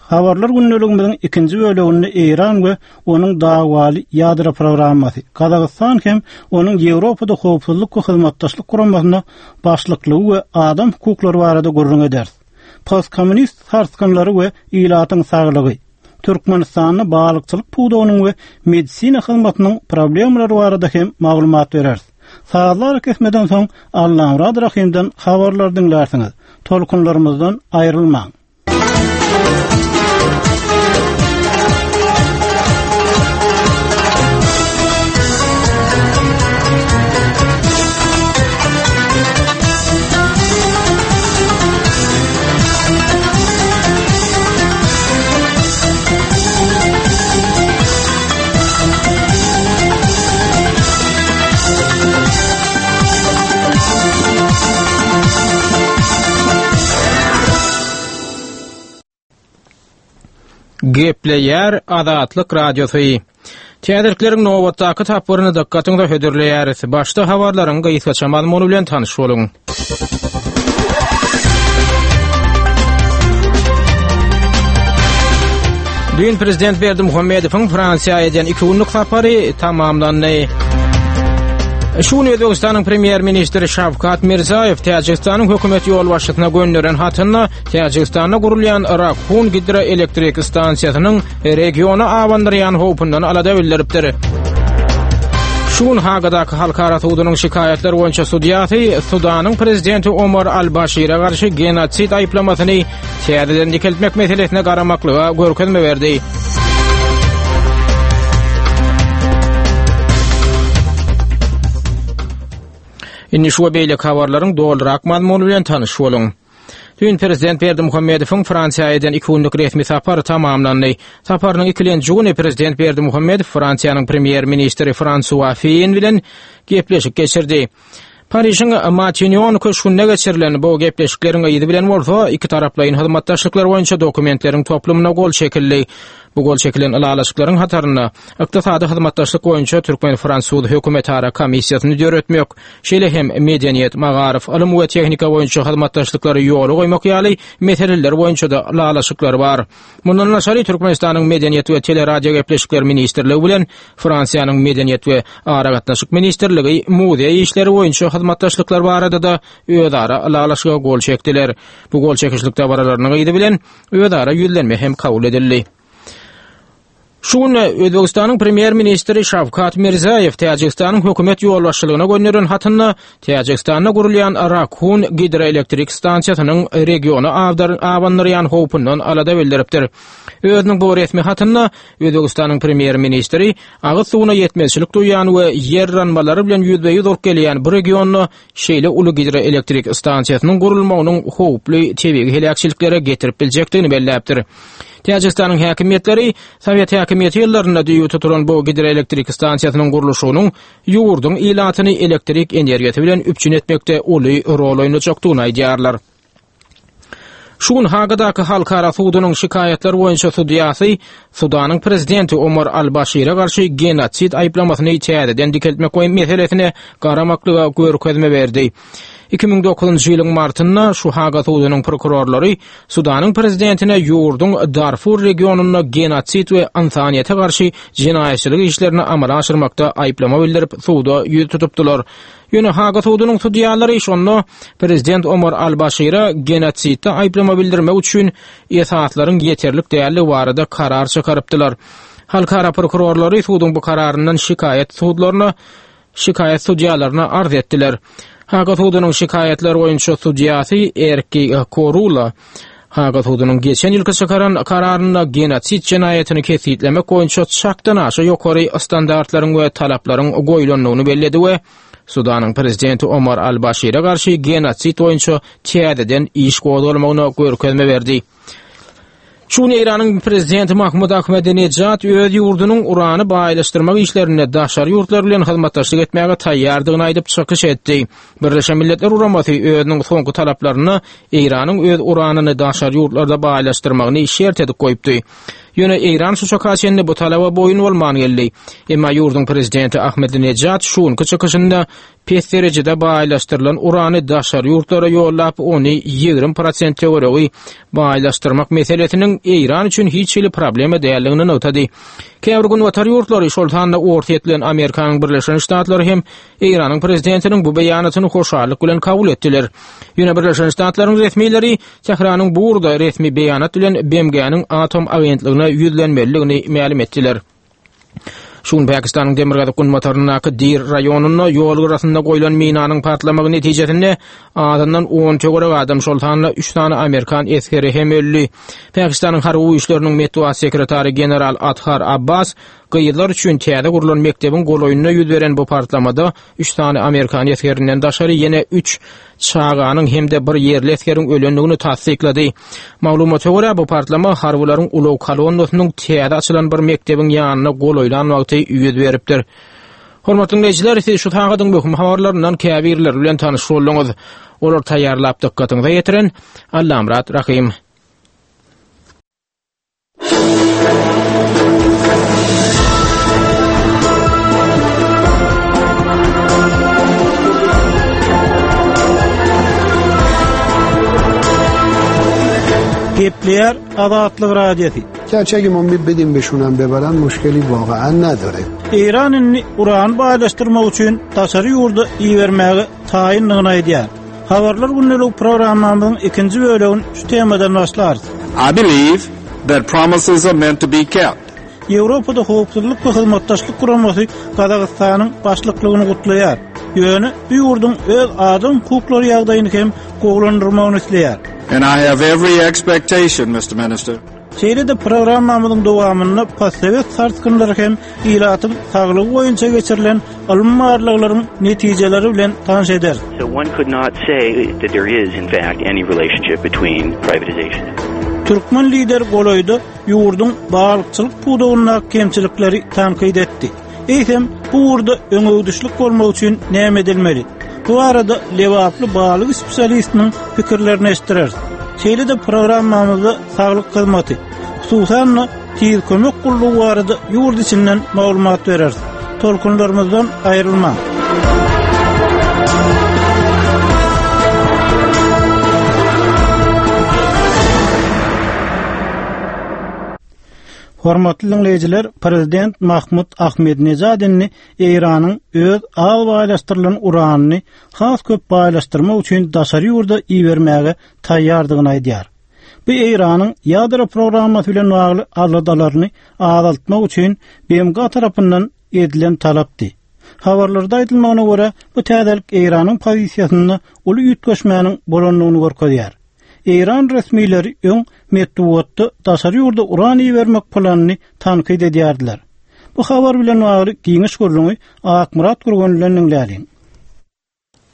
Habarlar gündeligimiziň ikinji bölüminde Eýran we onuň dawwaly ýadro programmasy, Gazagystan hem onuň Ýewropada howpsuzlyk we hyzmatdaşlyk guramasyna başlyklygy we adam hukuklary barada gürrüň ederis. Postkommunist sarsgynlary we ilatyň saglygy, Türkmenistanda balykçylyk pudagynyň we medisina hyzmatynyň problemalary barada hem maglumat bereris. Sazlar kesmeden soň Allamurad Rahimden habarlar diňlersiňiz. Tolkunlarymyzdan aýrylmaň. Gepleýär Azatlyk Radiosy. Täzelikleriň nobatdaky tapgyryny dykgatyňyza hödürleýäris. Başda habarlaryň gysgaça mazmuny bilen tanyş boluň. Düýn Prezident Berdimuhamedowyň Fransiýa eden iki günlük sapary tamamlandy. Şu gün Özbegistanyň Premýer-ministri Şawkat Mirzaýew Täjigistanyň hökümet ýolbaşçysyna gönderen hatynda Täjigistanda gurulýan Rakhun gidroelektrik stansiýasynyň regiona abandyrýan howpundan alada bildiripdir. Şu gün Hagadaky Halkara sudunyň şikaýatlar boýunça sudýasy Sudanyň prezidenti Omar al-Başire garşy genosid aýyplamasyny täzeden dikeltmek meselesine garamaklyga görkezme berdi. Indi şu we beýleki habarlaryň dolurak mazmuny bilen tanyş boluň. Düýn Prezident Berdimuhamedowyň Fransiýa eden iki günlük resmi sapary tamamlandy. Saparynyň ikilenji güni Prezident Berdimuhamedow Fransiýanyň Premýer-ministri Fransua Feýen bilen gepleşik geçirdi. Parižiň Matinýon köşgünde geçirilen bu gepleşikleriň yzy bilen bolsa ikitaraplaýyn hyzmatdaşlyklar boýunça dokumentleriň toplumyna gol çekildi. Bu gol çekilen ylalaşyklaryň hatarynda ykdysady hyzmatdaşlyk boýunça türkmen-fransuz hökümetara komissiýasyny döretmek, şeýle hem medeniýet, magaryf, ylym we tehnika boýunça hyzmatdaşlyklary ýola goýmak ýaly meseleler boýunça-da ylalaşyklar bar. Mundan daşary Türkmenistanyň Medeniýet we teleradiogepleşikler ministrligi bilen Fransiýanyň Medeniýet we aragatnaşyk ministrligi muzeý işleri boýunça hyzmatdaşlyklar barada-da özara ylalaşyga gol çekdiler. Bu gol çekişlik dabaralarynyň yzy bilen özara ýüzlenme hem kabul edildi. Şu gün Özbegistanyň Premýer-ministri Şawkat Mirziýoýew Täjigistanyň hökümet ýolbaşçylygyna gönderen hatynda Täjigistanda gurulýan Rakhun gidroelektrik stansiýasynyň regiona abandyrýan howpundan alada bildiripdir. Özüniň bu resmi hatynda Özbegistanyň Premýer-ministri agyz suwuna ýetmezçilik duýýan we ýer yranmalary bilen ýüzbe-ýüz bolup gelýän bu regionda şeýle uly gidroelektrik stansiýasynyň gurulmagynyň howply tebigy heläkçiliklere getirip biljekdigini belläpdir. Täjigistanyň häkimiýetleri Sowet häkimiýeti ýyllarynda düýbi tutulan bu gidroelektrik stansiýasynyň gurluşygynyň ýurduň ilatyny elektrik energiýasy bilen üpjün etmekde uly rol oýnajakdygyny aýdýarlar. Şu gün Hagadaky Halkara sudunyň şikaýatlar boýunça sudýasy Sudanyň prezidenti Omar al-Başire garşy genosid aýyplamasyny täzeden dikeltmek meselesine garamaklyga görkezme berdi. Iki müň dokuzynjy ýylyň martynda şu Haga sudunyň prokurorlary Sudanyň prezidentine ýurduň Darfur regionynda genosid we ynsanyýete garşy jenaýatçylyk işlerini amala aşyrmakda aýyplama bildirip suda ýüz tutupdylar. Ýöne Haga sudunyň sudýalary şonda prezident Omar al-Başire genosidde aýyplama bildirmek üçin esaslaryň ýeterlik däldigi barada karar çykarypdylar. Halkara prokurorlary suduň bu kararyndan şikaýat sudlaryna şikaýat sudýalaryna arz etdiler. Haga sudunyň şikaýatlar boýunça sudýasy Erki Korula Haga sudunyň geçen ýylky çykaran kararynda genosid jenaýatyny kesgitlemek boýunça çakdan aşa ýokary standartlaryň we talaplaryň goýlandygyny belledi we Sudanyň prezidenti Omar al-Başire garşy genosid boýunça täzeden iş gozgalmagyna görkezme berdi. Şu gün Eýranyň prezidenti Mahmud Ahmedinejad öz ýurdunyň urany baýlaşdyrmak işlerinde daşary ýurtlar bilen hyzmatdaşlyk etmäge taýýardygyny aýdyp çykyş etdi. Birleşen Milletler Guramasy özüniň soňky talaplarynda Eýranyň öz uranyny daşary ýurtlarda baýlaşdyrmagyny şert edip goýupdy. Ýöne Eýran şu çaka çenli bu talaba boýun bolman geldi. Emma ýurduň prezidenti Ahmedinejad şu günki çykyşynda pes derejede baýlaşdyrylan urany daşary ýurtlara ýollap, ony ýigrimi prosent töweregi baýlaşdyrmak meselesiniň Eýran üçin hiç hili problema däldigini nygtady. Käbir günbatar ýurtlary, şol sanda Orsýet bilen Amerikanyň Birleşen Ştatlary hem Eýranyň prezidentiniň bu beýanatyny hoşallyk bilen kabul etdiler. Ýöne Birleşen Ştatlaryň resmileri Tähranyň bu ugurda resmi beýanat bilen B M G-niň atom agentligine ýüzlenmelidigini mälim etdiler. Şu gün Pakistanyň demirgazyk-günbataryndaky Dir raýonynda ýol gyrasynda goýlan minanyň partlamagy netijesinde azyndan on töwerek adam, şol sanda üç sany amerikan esgeri hem öldi. Pakistanyň harby güýçleriniň metbugat sekretary general Athar Abbas gyzlar üçin täze gurlan mekdebiň golaýynda ýüz beren bu partlamada üç sany amerikan esgerinden daşary ýene üç çaganyň hem-de bir ýerli esgeriň ölendigini tassyklady. Maglumata görä, bu partlama harbylaryň ulag kolonnasynyň täze açylan bir mekdebiň ýanyna golaýlan wagty ýüz beripdir. Hormatly dinleýjiler, siz şu sagadyň möhüm habarlaryndan käbirleri bilen tanyş bolduňyz. Olar taýýarlap dykgatyňyza ýetiren Allamyrat Rahym. Gepleýär Azatlyk Radiosy. Gerçi اگه ما بدیم بهشونم ببرن مشکلی واقعا نداره. Eýran indi uran baýlaşdyrmak üçin daşary ýurda ibermäge taýynlygyny aýdýar. Habarlar gündelik programmamyzyň ikinji bölümini şu temadan başlarys. I believe that promises are meant to be kept. Ýewropada howpsuzlyk we hyzmatdaşlyk guramasy Gazagystanyň başlyklygyny gutlaýar. Ýöne bu ýurduň öz adam hukuklary ýagdaýyny hem gowulandyrmagyny isleýär. And I have every expectation, Mister Minister. Şeýle-de programmamyzyň dowamynda postsovet sarsgynlary hem ilatyň saglygy boýunça geçirilen ylmy barlaglaryň netijeleri bilen tanyş eder. So one could not say that there is in fact any relationship between privatization. Türkmen lider golaýda ýurduň balykçylyk pudagyndaky kemçilikleri tankyt etdi. Eýsem bu ugurda öňegidişlik bolmak üçin näme edilmeli? Bu arada Lewaply balyk spesialistiniň pikirlerini eşitdireris. Şeýle-de programmamyzda saglyk hyzmaty, hususan-da tiz kömek gullugy barada ýurt içinden maglumat bereris. Tolkunlarymyzdan aýrylmaň. Hormatly dinleýjiler, Prezident Mahmud Ahmedinejad indi Eýranyň öz az baýlaşdyrylan uranyny has köp baýlaşdyrmak üçin daşary ýurda ibermäge taýýardygyny aýdýar. Bu Eýranyň ýadro programmasy bilen bagly aladalaryny azaltmak üçin B M G tarapyndan edilen talapdy. Habarlarda aýdylmagyna görä, bu täzelik Eýranyň pozisiýasynda uly üýtgeşmäniň bolandygyny görkezýär. Eýran resmileri öň metbugatda daşary ýurda uran ibermek planyny tankyt edýärdiler. Bu habar bilen bagly giňiş gürrüňi Akmyrat Gurgan bilen diňläliň.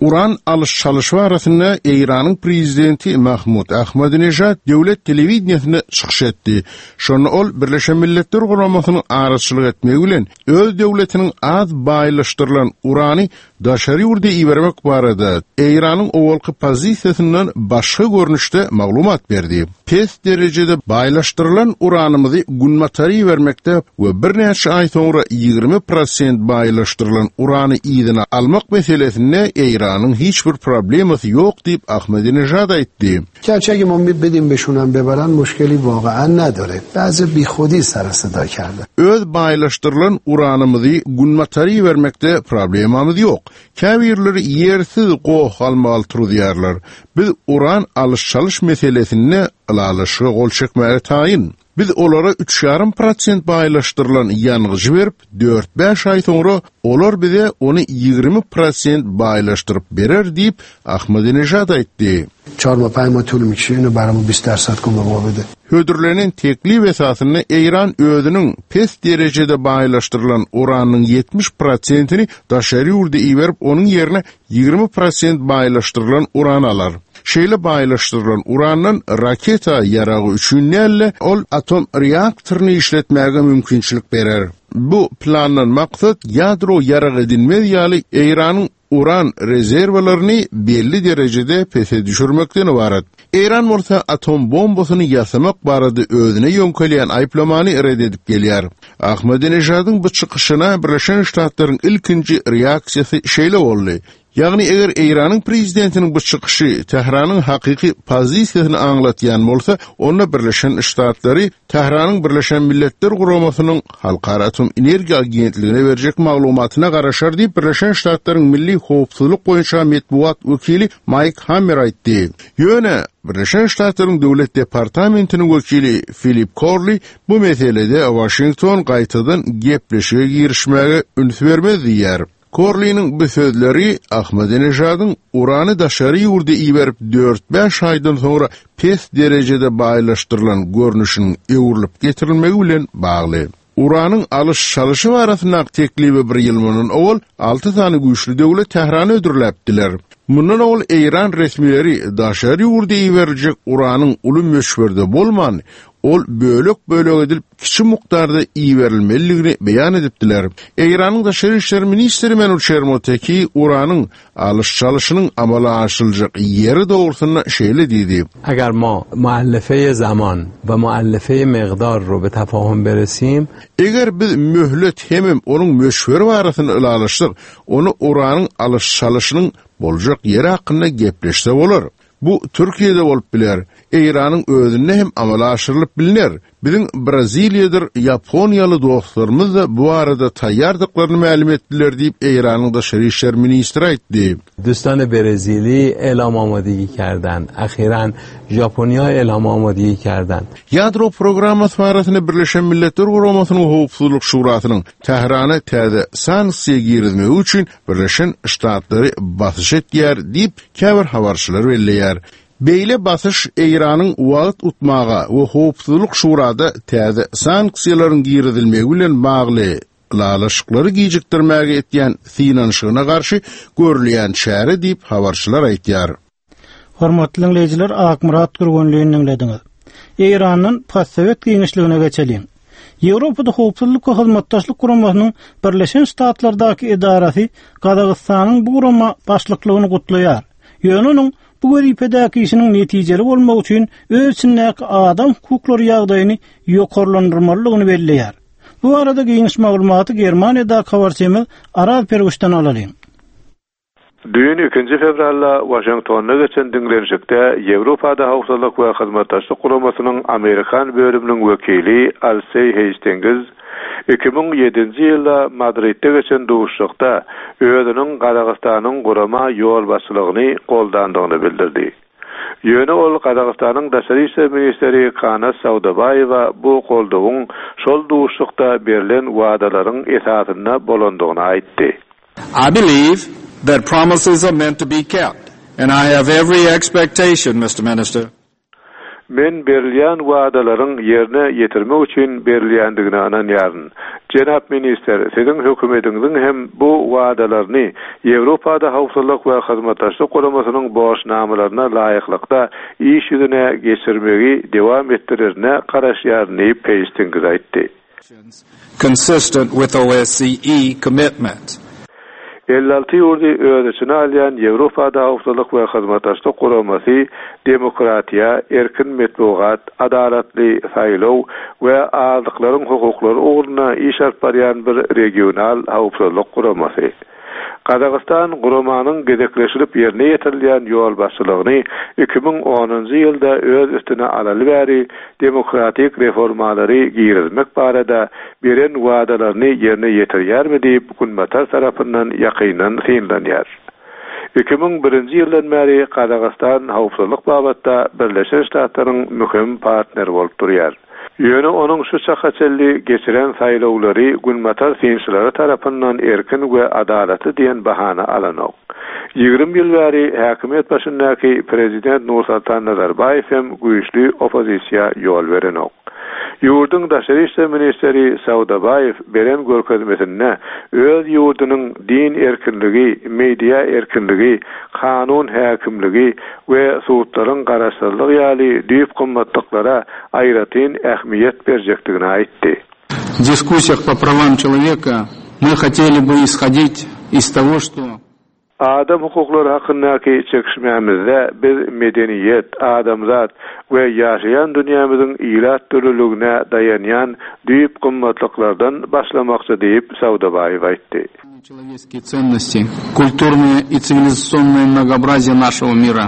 Uran alış-çalyşı arasynda Eýranyň prezidenti Mahmud Ahmadinejad döwlet telewideniýesine çykyş etdi. Şonda ol Birleşen Milletler Guramasynyň araçylyk etmegi bilen öz döwletiniň az baýlaşdyrylan urany daşary ýurda ibermek barada Eýranyň owalky pozisiýasyndan başga görnüşde maglumat berdi. Pes derejede baýlaşdyrylan uranymyzy günbatara ibermekde we birnäçe aý soňra ýigrimi prosent baýlaşdyrylan urany yzyna almak meselesinde Eýranyň hiç bir problemasy ýok diýip Ahmadinejad aýtdy. Gerçi اگه ما بدیم بهشونم ببرن مشکلی واقعا نداره. بعضی بیخودی سر صدا کرده. Öz baýlaşdyrylan uranymyzy günbatara ibermekde problemamyz ýok. Käbirleri ýersiz goh almaly turýarlar. Biz uran alış-çalış meselesinde ylalaşyga gol çekmäge taýyn. Biz olara üç ýarym prosent baýlaşdyrylan ýangyjy berip, dört bäş aý soňra olar bize ony ýigrimi prosent baýlaşdyryp berer diýip Ahmadinejad aýtdy. Çar ma pay ma tul mikşi, inu baramı بیست درصد کن به ما بده. Hödürlenen teklip esasynda Eýran özüniň pes derejede baýlaşdyrylan uranyň ýetmiş prosentini daşary ýurda iberip, onuň ýerine ýigrimi prosent baýlaşdyrylan uran alar. Şeýle baýlaşdyrylan urandan raketa ýaragy üçin nälle ol atom reaktoryny işletmäge mümkinçilik berer. Bu plandan maksat ýadro ýaragy edilmez ýaly Eýranyň uran rezerwalaryny belli derejede pese düşürmekden ibarat. Eýran bolsa atom bombasyny ýasamak barada özüne ýöňkelýän aýyplamany red edip gelýär. Ahmadinejadyň bu çykyşyna Birleşen Ştatlaryň ilkinji reaksiýasy şeýle boldy. Ýagny eger Eýranyň prezidentiniň bu çykyşy Tähranyň hakyky pozisiýasyny aňlatýan bolsa, onda Birleşen Ştatlary Tähranyň Birleşen Milletler Guramasynyň Halkara Atom Energiýa Agentligine berjek maglumatyna garaşar diýip Birleşen Ştatlaryň Milli Howpsuzlyk boýunça metbugat wekili Mike Hammer aýtdy. Ýöne Birleşen Ştatlaryň Döwlet Departamentiniň wekili Philip Corley bu meselede Washington gaýtadan gepleşige girişmäge üns bermez diýär. Corley'nin bu sözleri Ahmadinejadyň urany daşary ýurda iberip dört bäş aýdan soňra pes derejede baýlaşdyrylan görnüşiniň öwrülip getirilmegi bilen bagly. Uranyň alış-çalyşı barasyndaky teklibi bir ýyl mundan owal alty sany güýçli döwlet Tährana ödürläpdiler. Mundan owal Eýran resmileri daşary ýurda iberiljek uranyň uly möçberde bolman, ol bölek-bölek edilip kiçi mukdarda iberilmelidigini beýan edipdiler. Eýranyň daşary işler ministri Menuçer Moteki uranyň alyş-çalyşynyň amala aşyryljak ýeri dogrusynda şeýle diýdi. Eger ma muallefe zaman we muallefe miqdar ro be tafahum beresim, Eger biz möhlet hemem onuň möçberi barasynda ylalaşsak, onda uranyň alyş-çalyşynyň boljak ýeri hakynda gepleşse bolar. Bu Türkiýede bolup biler, Eýranyň özünde hem amala aşyrylyp bilner. Biziň Braziliýadyr Ýaponiýaly dostlarymyz-da bu barada taýýardyklaryny mälim etdiler diýip, Eýranyň daşary işler ministri aýtdy. Dostany Brezili elam amadegi kerden, ahiran Ýaponiýa elam amadegi kerden. Ýadro programmasy barasynda Birleşen Milletler Guramasynyň Howpsuzlyk Şurasynyň Tährana täze sanksiýa girizmegi üçin Birleşen Ştatlary basyş etýär diýip, käbir habarçylar belleýär. Beýle basyş Eýranyň wagt utmaga we Howpsuzlyk Şurada täze sanksiýalaryň girizilmegi bilen bagly ylalaşyklary gijikdirmäge etýän synanyşygyna garşy görülýän çäre diýip habarçylar aýtýar. Hormatly diňleýjiler, Akmyrat Gürgenlini diňlediňiz. Eýrandan Postsowet giňişligine geçeliň. Ýewropada Howpsuzlyk we Hyzmatdaşlyk Guramasynyň Birleşen Ştatlardaky edarasy Gazagystanyň bu gurama başlyklygyny gutlaýar. Ýöne onuň bu wezipedäki işiniň netijeli bolmagy üçin öz içindäki adam hukuklary ýagdaýyny ýokarlandyrmalydygyny belleýär. Bu arada giňiş maglumaty Germaniýadaky habarçymyz Araz Perwişden alalyň. Düýn ikinji fewralda Waşingtonda geçen diňlenişikde Ýewropada Howpsuzlyk we Hyzmatdaşlyk Guramasynyň Amerikan bölüminiň wekili Alseý Heýstingiz iki müň ýedinji ýylda Madridde geçen duşuşykda özüniň Gazagystanyň gurama ýolbaşçylygyny goldandygyny bildirdi. Ýöne ol Gazagystanyň daşary işler ministri Kanat Saudabaýewa bu goldawyň şol duşuşykda berlen wadalaryň esasynda bolandygyny aýtdy. I believe that promises are meant to be kept, and I have every expectation, Mister Minister. Men berilýän wadalaryň ýerine ýetirmek üçin berilýändigine ynanýaryn. Jenap ministr, siziň hökümetiňiziň hem bu wadalaryny Ýewropada Howpsuzlyk we Hyzmatdaşlyk Guramasynyň borçnamalaryna laýyklykda iş ýüzüne geçirmegi dowam etdirerine garaşýaryn diýip, Heýstingiz aýtdy. Consistent with O S C E commitments. Elli alty ýurdy öz içine alýan Ýewropada Howpsuzlyk we Hyzmatdaşlyk Guramasy demokratiýa, erkin metbugat, adalatly saýlaw we azlyklaryň hukuklary ugrunda iş alyp barýan bir regional howpsuzlyk guramasy. Gazagystan guramanyň gezekleşilip ýerine ýetirilýän ýolbaşçylygyny iki müň onunjy ýylda öz üstüne alaly bäri demokratik reformalary girizmek barada beren wadalaryny ýerine ýetirýärmi diýip Günbatar tarapyndan ýakyndan synlanýar. Iki müň birinji ýyldan bäri Gazagystan howpsuzlyk babatda Birleşen Ştatlaryň möhüm partneri bolup durýar. Ýöne onuň şu çaka çenli geçiren saýlawlary Günbatar synçylary tarapyndan erkin we adalatly diýen bahana alanok. Ýigrimi ýyl bäri häkimiýet başyndaky prezident Nursultan Nazarbaýew hem güýçli oppozisiýa ýol berenok. Ýurduň daşary işler ministri Saudabaýew beren görkezmesinde öz ýurdunyň din erkinligi, media erkinligi, kanun häkimligi we sudlaryň garaşsyzlygy ýaly düýp gymmatlyklara aýratyn ähmiýet berjekdigini aýtdy. В дискуссиях по правам человека мы хотели бы исходить из того, что Adam hukuklary hakyndaky çekişmämizde biz medeniýet, adamzat we ýaşaýan dünýämiziň ilat dürlüligine daýanýan düýp gymmatlyklardan başlamakçy diýip Saudabaýew aýtdy. Человеческие ценности, культурное и цивилизационное многообразие нашего мира.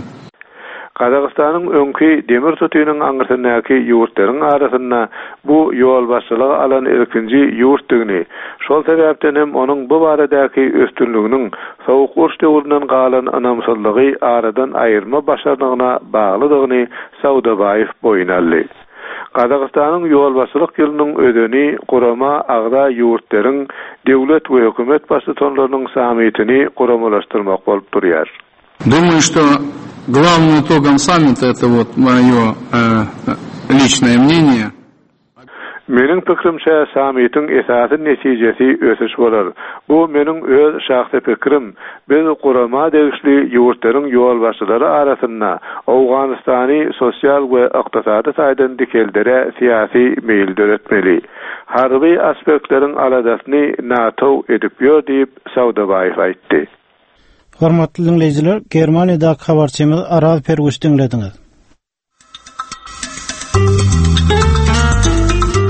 Gazagystanyň öňki demir tutynyň aňyrsyndaky ýurtlaryň arasynda bu ýolbaşçylygy alan ilkinji ýurtdygyny, şol sebäpden hem onuň bu baradaky üstünliginiň sowuk uruş döwründen galan ynamsyzlygy aradan aýyrma başarnygyna baglydygyny Saudabaýew boýun aldy. Gazagystanyň ýolbaşçylyk ýylynyň özeni gurama agza ýurtlaryň döwlet we hökümet baştutanlarynyň sammitini guramalaşdyrmak bolup durýar. Думаю, что главным итогом саммита, это вот мое, э, личное мнение. Meniň pikirimçe sammitiň esasy netijesi ösüş bolar. Bu meniň öz şahsy pikirim. Biz gurama degişli ýurtlaryň ýolbaşçylary arasynda Owganystany sosial we ykdysady taýdan dikeldere syýasy meýil döretmeli. Harby aspektleriň aladasyny NATO edip ýör diýip Saudabaýew aýtdy. Hormatly dinleýjiler, Germaniýadaky habarçymyz Araz Perguş diňlediňiz.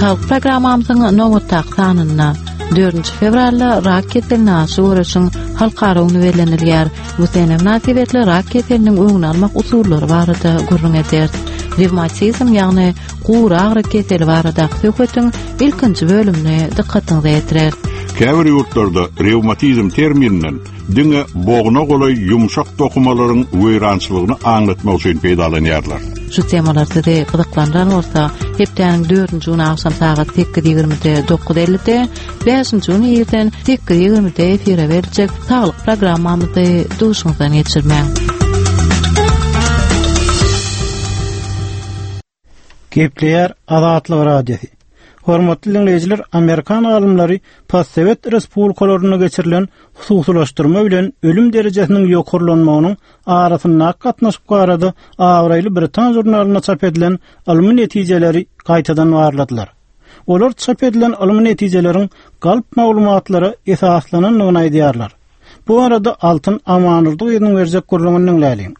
Halk programmamyzyň nobatdaky sanynda dördünji fewralda rak keseline garşy göreşiň halkara güni bellenilýär. Bu sene mynasybetli rak keseliniň öňüni almak usullary barada gürrüň ederis. Revmatizm, ýagny gury agyry keseli baradaky söhbetiň ilkinji bölümini dykgatyňyza ýetirer. Käbir ýurtlarda revmatizm termininden diňe bogna golaý ýumşak dokumalaryň weýrançylygyny aňlatmak üçin peýdalanýarlar. Şu temalar sizi gyzyklandyran bolsa, hepdäniň dördünji güni agşam sagat sekiz ýigrimide dokuz ellide, bäşinji güni irden sekiz ýigrimide efire beriljek saglyk programmamyzy duşuňyzdan geçirmäň. Gepleýär Azatlyk Radiosy. Hormatly dinleýjiler, Amerikan alymlary Postsowet respublikalarynda geçirilen hususylaşdyrma bilen ölüm derejesiniň ýokarlanmagynyň arasyndaky gatnaşyk barada abraýly Britan žurnalynda çap edilen ylmy netijeleri gaýtadan barladylar. Olar çap edilen ylmy netijeleriň galp maglumatlara esaslanandygyny aýdýarlar. Bu arada Altyn Amanurdynyň berjek gürrüňini diňläliň.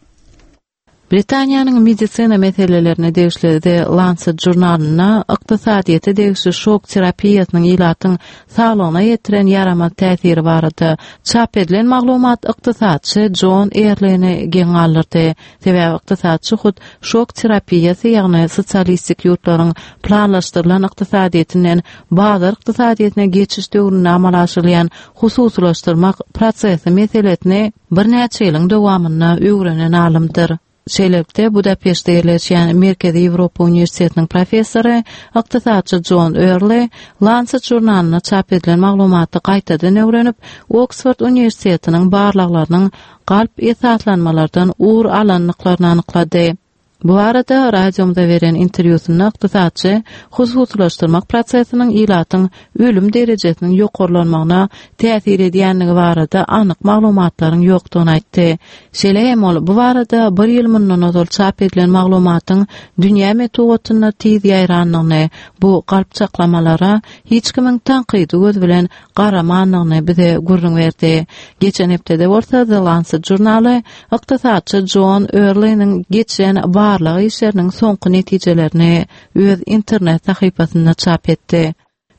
Britaniýanyň medisina meselelerine degişli The Lancet žurnalynda ykdysadyýete degişli şok terapiýasynyň ilatyň saglygyna ýetiren ýaramaz täsiri barada çap edilen maglumat ykdysatçy John Erlini geň galdyrdy. Sebäbi ykdysatçy hut şok terapiýasy, ýagny sosialistik ýurtlaryň planlaşdyrylan ykdysadyýetinden bazar ykdysadyýetine geçiş döwründe amala aşyrylýan hususylaşdyrmak prosesi meselesini birnäçe ýylyň dowamynda öwrenen alymdyr. Şeýlelikde Budapeştde ýerleşýän Merkezi Ýewropa Uniwersitetiniň professory ykdysatçy John Early Lancet žurnalynda çap edilen maglumaty gaýtadan öwrenip, Oksford Uniwersitetiniň barlaglarynyň galp esaslanmalardan ugur alandyklaryny anyklady. Bu arada radiomda beren interwýusynda ykdysatçy hususylaşdyrmak prosesiniň ilatyň ölüm derejesiniň ýokarlanmagyna täsir edýänligi barada anyk maglumatlaryň ýokdugyny aýtdy. Şeýle hem ol bu barada bir ýyl mundan ozal çap edilen maglumatyň dünýä metbugatynda tiz ýaýrandygyny, bu galp çaklamalara hiç kimiň tankydy göz bilen garamandygyny bize gürrüň berdi. Geçen hepdede bolsa The Lancet žurnaly ykdysatçy John Early'niň geçen barlag işleriniň soňky netijelerini öz internet sahypasynda çap etdi.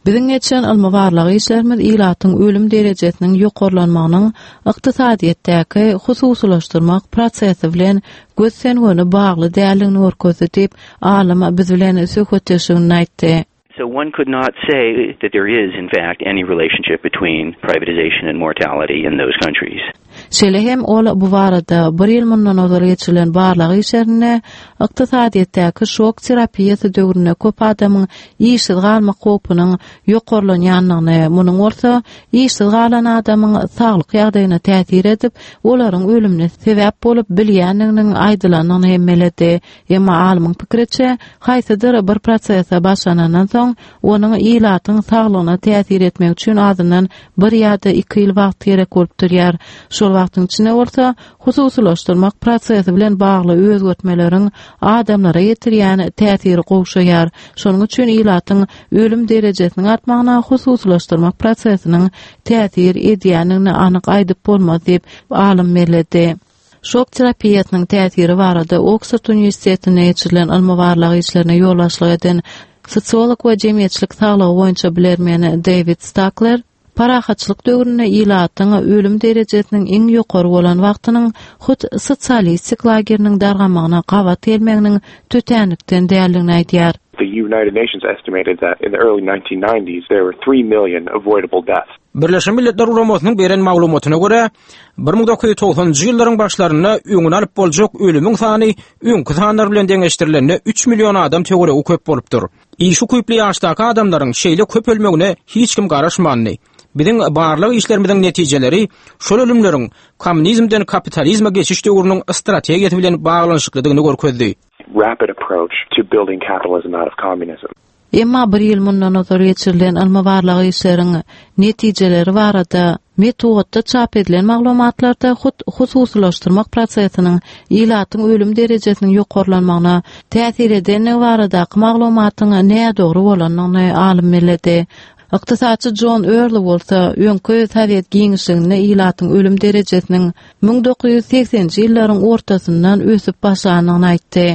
Biziň geçen ylmy barlag işlerimiz ilatyň ölüm derejesiniň ýokarlanmagynyň ykdysadyýetdäki hususylaşdyrmak prosesi bilen gös-göni bagly däldigini görkezdi diýip, alym biz bilen söhbetdeşliginde aýtdy. So one could not say that there is, in fact, any relationship between privatization and mortality in those countries. Şeýle hem ol bu barada bir ýyl mundan ozal geçirilen barlag işlerinde ykdysadyýetdäki şok terapiýasy döwründe köp adamyň işsiz galmak howpunyň ýokarlanýandygyny, munuň bolsa işsiz galan adamyň saglyk ýagdaýyna täsir edip, olaryň ölümine sebäp bolup bilýändiginiň aýdylandygyny hem belledi. Emma alymyň pikiriçe, haýsydyr bir prosese başlanandan soň onuň ilatyň saglygyna täsir etmek üçin azyndan bir ýa-da iki ýyl wagt gerek bolup durýar. Şol wagtyň içinde bolsa hususylaşdyrmak prosesi bilen bagly özgertmeleriň adamlara ýetirýän täsiri gowşaýar. Şonuň üçin ilatyň ölüm derejesiniň artmagyna hususylaşdyrmak prosesiniň täsir edýändigini anyk aýdyp bolmaz diýip alym belledi. Şok terapiýasynyň täsiri barada Oksford Uniwersitetinde geçirilen ylmy barlag işlerine ýolbaşçylyk eden sosiolog we jemgyýetçilik saglygy boýunça bilermeni David Stakler parahatçylyk döwründe ilatyň ölüm derejesiniň iň ýokary bolan wagtynyň hut sosialistik lageriniň dargamagyna gabat gelmeginiň tötänlikden däldigini aýdýar. The United Nations estimated that in the early nineteen nineties there were three million avoidable deaths. Birleşen Milletler Guramasynyň beren maglumatyna görä, bir müň dokuz ýüz togsanynjy ýyllaryň başlarynda öňüni alyp boljak ölümiň sany öňki sanlar bilen deňeşdirilende üç million adam töweregi köp bolupdyr. Iş ukyply ýaşdaky adamlaryň şeýle köp ölmegine hiç kim garaşmandy. Biziň barlag işlerimiziň netijeleri şol ölümleriň kommunizmden kapitalizme geçiş döwrüniň strategiýasy bilen baglanyşyklydygyny görkezdi. Rapid approach to building capitalism out of communism. Emma bir ýyl mundan ozal geçirilen ylmy-barlag işleriň netijeleri barada metbugatda çap edilen maglumatlarda hut hususylaşdyrmak prosesiniň ilatyň ölüm derejesiniň ýokarlanmagyna täsir edenligi baradaky maglumatyň nädogry bolandygyny alym belledi. Ykdysatçy John Early bolsa öňki Sowet giňişliginde ilatyň ölüm derejesiniň müň dokuz ýüz segseninji ýyllaryň ortasyndan ösüp başlandygyny aýtdy.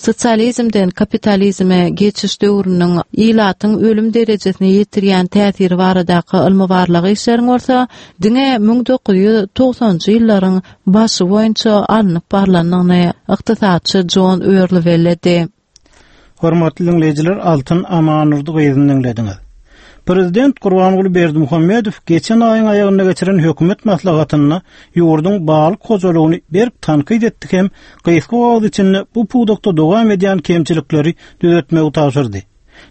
Sosializmden kapitalizme geçiş döwrüniň ilatyň ölüm derejesine ýetirýän täsiri baradaky ylmy-barlag işleriň bolsa diňe müň dokuz ýüz togsanjy ýyllaryň başy boýunça alnyp barlandygyny ykdysatçy John Early belledi. Hormatly diňleýjiler, Altyn Amanurdy gyzyny diňlediňiz. Prezident Gurbanguly Berdimuhamedow geçen aýyň aýagynda geçiren hökümet maslahatynda ýurduň balyk hojalygyny berk tankyt etdi hem gysga wagt içinde bu pudakda dowam edýän kemçilikleri düzetmegi tabşyrdy.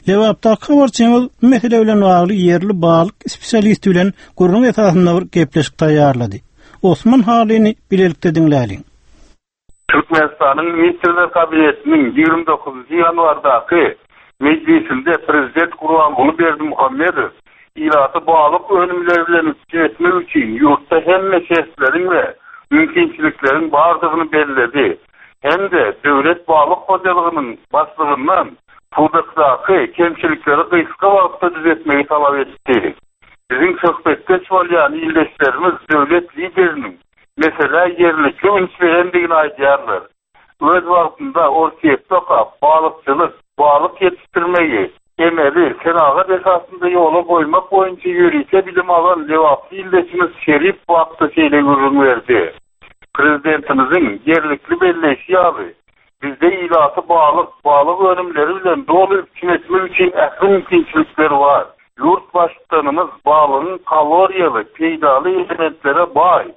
Lebapdaky habarçymyz bu mesele bilen bagly ýerli balyk spesialisti bilen gürrüň esasynda bir gepleşik taýýarlady. Osman Halyny bilelikde diňläliň. Türkmenistanyň Ministrler Kabinetiniň ýigrimi dokuzynjy ýanwardaky mejlisinde Prezident Gurbanguly Berdimuhamedow ilaty balyk önümleri bilen üpjün etmek üçin ýurtda hemme şertleriň we mümkinçilikleriň bardygyny belledi. Hem-de döwlet balyk hojalygynyň başlygyndan pudakdaky kemçilikleri gysga wagtda düzetmegi talap etdi. Biziň söhbetdeş bolýan ildeşlerimiz döwlet lideriniň meselä ýerlikli üns berendigini aýdýarlar. Öz wagtynda Orsýetde okap, balykçylyk, balyk ýetişdirmegi, emeli, senagat esasynda ýola goýmak boýunça ýörite bilim alan Lebaply ildeşimiz Şerif wagtda şeýle gürrüň berdi. Prezidentimiziň ýerlikli belleýşi ýaly, bizde ilaty balyk, balyk önümleri bilen doly üpjün etmek üçin ähli mümkinçilikler bar. Ýurt baştutanymyz balygyň kaloriýaly, peýdaly elementlere baý,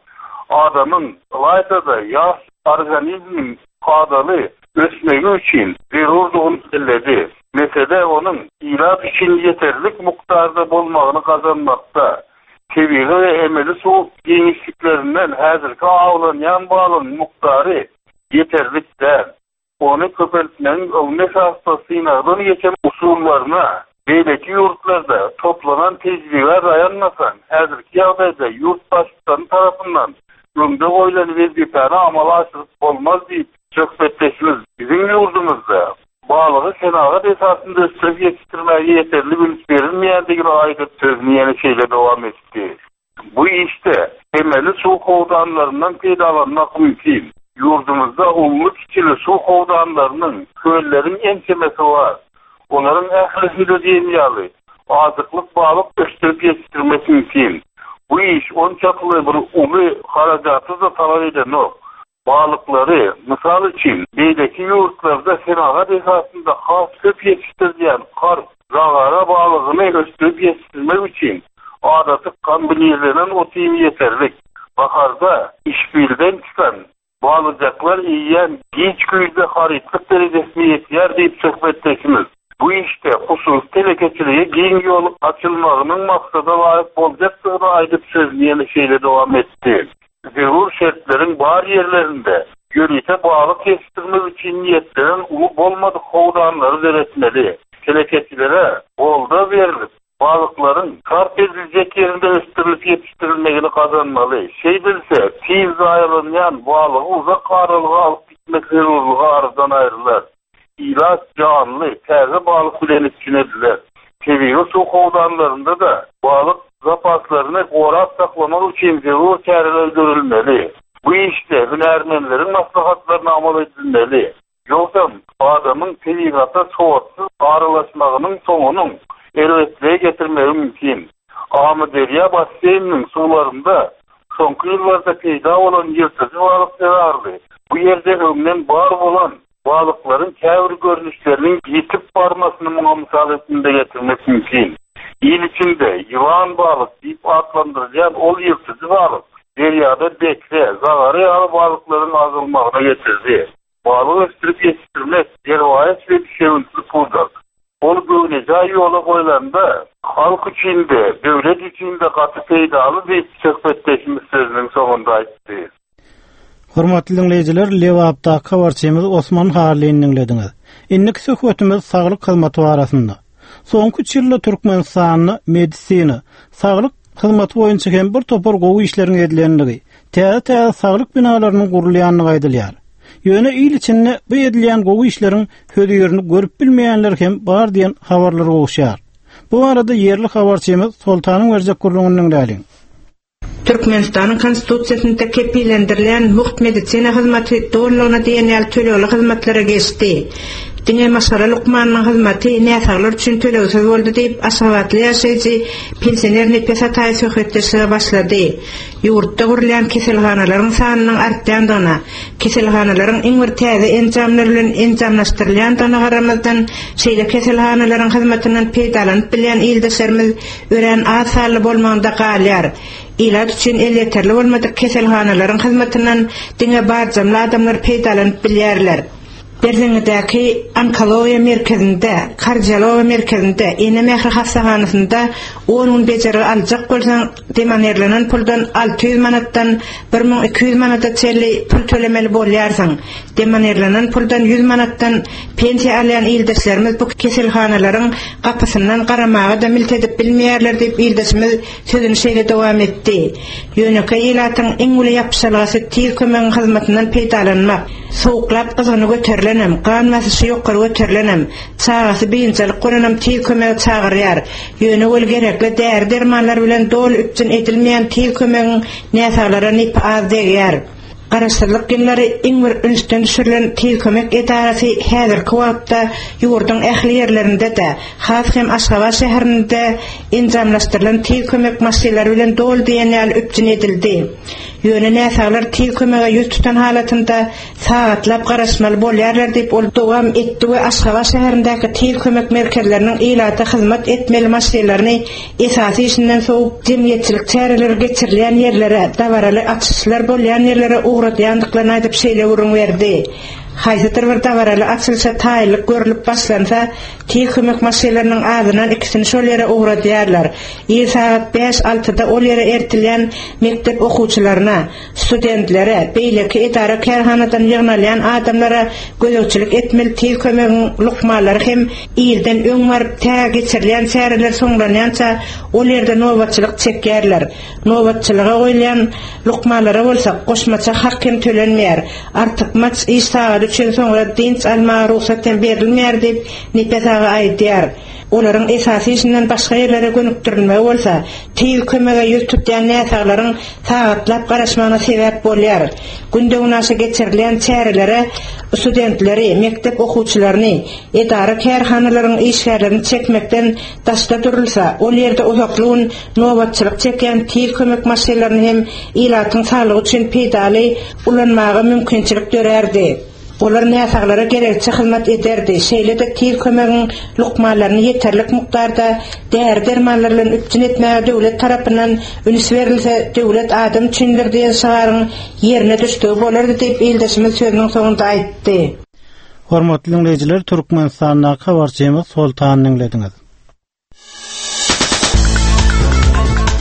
adamyň ylaýta-da ýaş organizmiň kadaly ösmegi üçin zerurdygyny belledi. Mesele onuň ilat üçin ýeterlik mukdarda bolmagyny gazanmakda, tebigy we emeli suw giňişliklerinden häzirki awlanýan balygyň mukdary ýeterlik däl. Ony köpeltmegiň ylmy esasda synagdan geçen usullaryna beýleki ýurtlarda toplanan tejribe daýanmasaň, häzirki ýagdaýda ýurt baştutany tarapyndan öňde goýlan wezipäni amala aşyryp bolmaz diýip söhbetdeşimiz biziň ýurdumyzda balygy senagat esasynda ösdürip ýetişdirmäge ýeterli üns berilmeýändigini aýdyp sözüni ýene şeýle dowam etdi. Bu işde emeli suw howdanlaryndan peýdalanmak mümkin. Ýurdumyzda uly kiçili suw howdanlarynyň, kölleriň ençemesi bar. Olaryň ählisinde diýen ýaly azyklyk balyk ösdürip ýetişdirmek mümkin. Bu iş onçakly bir uly harajaty da talap edenok. Balyklary, mysal üçin, beýleki ýurtlarda senagat esasynda has köp ýetişdirilýän karp, zagara balygyny ösdürip ýetişdirmek üçin adaty kombinirlenen ot-iým ýeterlik. Baharda işbilden çykan balyjaklar iýen giç güýzde harytlyk derejesine ýetýär diýip söhbetdeşimiz. Bu işde hususy telekeçiliğe giň ýol açylmagynyň maksada laýyk boljakdygyny aýdyp sözüni ýene şeýle dowam etdi. Zerur şertleriň bar ýerlerinde ýörite balyk ýetişdirmek üçin niýetlenen uly bolmadyk howdanlary döretmeli. Telekeçilere goldaw berilip, balyklaryň sarp ediljek ýerinde ösdürilip ýetişdirilmegini gazanmaly. Şeýdilse, tiz zaýalanýan balygy uzak aralyga alyp gitmek zerurlygy aradan aýrylar. Ilat janly, täze balyk bilen üpjün ediler. Tebigy suw howdanlarynda da balyk zapaslaryny gorap saklamak üçin zerur çäreler görülmeli. Bu işde hünärmenleriň maslahatlaryna amal edilmeli. Ýogsam adamyň tebigata sowatsyz aralaşmagynyň soňunyň erbetliğe getirmegi mümkin. Amyderýa basseýniniň suwlarynda soňky ýyllarda peýda bolan ýyrtyjy balyk zerarly bu ýerde öňden bar bolan balyklaryň käbir görnüşleriniň ýitip barmasyny muňa mysal hökmünde getirmek mümkin. Il içinde ýylan balyk diýip atlandyrylýan ol ýyrtyjy balyk derýada bekre, zagara ýaly balyklaryň azalmagyna getirdi. Balyk ösdürip ýetişdirmek derwaýys we düşewüntli pudak. Ol göwnejaý ýola goýlanda halk üçin-de, döwlet üçin-de gaty peýdaly diýip söhbetdeşimiz sözüniň soňunda aýtdy. Hormatly diňleýjiler, Lebapdaky habarçymyz Osman Harlyny diňlediňiz. Indiki söhbetimiz saglyk hyzmaty barasynda. Soňky üç ýylda Türkmenistanda medisina, saglyk hyzmaty boýunça hem bir topar gowy işleriň edilendigi, täze-täze saglyk binalarynyň gurulýandygy aýdylýar. Ýöne il içinde bu edilýän gowy işleriň hözirini görüp bilmeýänler hem bar diýen habarlar gowuşýar. Bu arada ýerli habarçymyz Soltanyň berjek gürrüňini diňläliň. Türkmenistanyň Konstitusiýasynda kepillendirilen mugt medisina hyzmaty dolulygyna diýen ýaly tölegli hyzmatlara geçdi. Diňe maşgala lukmanynyň hyzmaty näsaglar üçin tölegsiz boldy diýip, Aşgabatly ýaşaýjy pensioner Nepes Ataýew söhbetdeşlige başlady. Ýurtda gurulýan keselhanalaryň sanynyň artýandygyna, keselhanalaryň iň bir täze enjamlar bilen enjamlaşdyrylýandygyna garamazdan, şeýle keselhanalaryň hyzmatyndan peýdalanyp bilýän ildeşlerimiz örän az sanly bolmagynda galýar. Ilat üçin elýeterli bolmadyk keselhanalaryň hyzmatyndan diňe barjamly adamlar peýdalanyp bilýärler. Berzeňňidäki onkologiýa merkezinde, kardiologiýa merkezinde, ene mähri hassahanasynda on gün bejergi aljak bolsaň, demonerlenen puldan alty ýüz manatdan bir müň iki ýüz manata çenli pul tölemeli bolýarsyň. Demonerlenen puldan ýüz manatdan pensiýa alýan ildeşlerimiz bu keselhanalaryň gapysyndan garamaga da milt edip bilmeýärler diýip ildeşimiz sözüni şeýle dowam etdi. Ýönekeý ilatyň iň uly ýapyşalgasy tiz kömegiň hyzmatyndan peýdalanmak. Sowuklap gyzgyny göterilenem, gan basyşy ýokary göterilenem, çagasy biynjalyk bolanam tiz kömegi çagyrýar. Ýöne ol gerekli däri dermanlar bilen doly üpjün edilmeýän tiz kömegiň näsaglara nepi az degýär. Garaşsyzlyk ýyllary iň bir ünsden düşürilen tiz kömek edarasy häzirki wagtda ýurduň ähli ýerlerinde-de, has hem Aşgabat şäherinde enjamlaşdyrylan tiz kömek maşynlary bilen doly diýen ýaly üpjün edildi. Ýöne näsaglar tiz kömege ýüz tutan halatynda sagatlap garaşmaly bolýarlar diýip ol dowam etdi we Aşgabat şäherindäki tiz kömek merkezleriniň ilata hyzmat etmeli maşynlaryny esasy işinden sowup, jemgyýetçilik çäreleri geçirilýän ýerlere, dabaraly açyşlar bolýan ýerlere ugradýandyklaryny aýdyp şeýle gürrüň berdi. Haýsydyr bir dabaraly açylyşa taýynlyk görlüp başlansa, tiz kömek maşynlarynyň azyndan ikisini şol ýere ugradýarlar. Ir sagat bäş-altyda ol ýere ertilýän mekdep okuwçylaryna, studentlere, beýleki edara kärhanadan ýygnalýan adamlara gözegçilik etmeli tiz kömegiň lukmanlary hem ilden öň baryp tä geçirilýän çäreler soňlanýança ol ýerde nobatçylyk çekýärler. Nobatçylyga goýulýan lukmanlara bolsa goşmaça hak hem tölenmeýär. Artykmaç iş sagady üçin soňra dynç almaga rugsat hem berilmeýär diýip Nepes aga aýdýar. Olaryň esasy işinden başga ýerlere gönükdirilmegi bolsa, tiz kömege ýüz tutýan näsaglaryň sagatlap garaşmagyna sebäp bolýar. Günde günaşa geçirilýän çärelere studentleri, mekdep okuwçylaryny, edara kärhanalaryň işgärlerini çekmekden daşda durulsa, ol ýerde uzakly gün nobatçylyk çekýän tiz kömek maşynlaryny hem ilatyň saglygy üçin peýdaly ulanmaga mümkinçilik dörärdi. Olar näsaglara gerekçe hyzmat ederdi. Şeýle-de tiz kömegiň lukmanlaryny ýeterlik mukdarda däri dermanlar bilen üpjün etmäge döwlet tarapyndan üns berilse, döwlet adam üçindir diýen şygaryň ýerine düşdügi bolardy diýip ildeşimiz sözüniň soňunda aýtdy. Hormatly dinleýjiler, Türkmenistandaky habarçymyz Soltany diňlediňiz.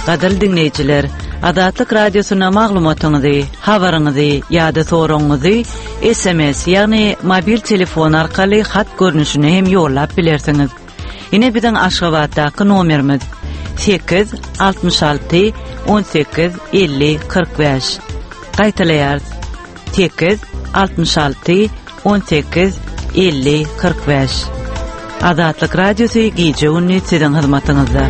Gadyrly dinleýjiler, Azatlyk Radiosyna maglumatyňyzy, habaryňyzy ýa-da soragyňyzy S M S, ýagny mobil telefon arkaly hat görnüşine hem ýollap bilersiňiz. Ine biziň Aşgabatdaky nomerimiz sekiz altmyş alty on sekiz elli kyrk bäş. Gaýtalaýarys. Sekiz altmyş alty on sekiz elli kyrk bäş. Azatlyk Radiosy gije gündüz siziň hyzmatyňyzda.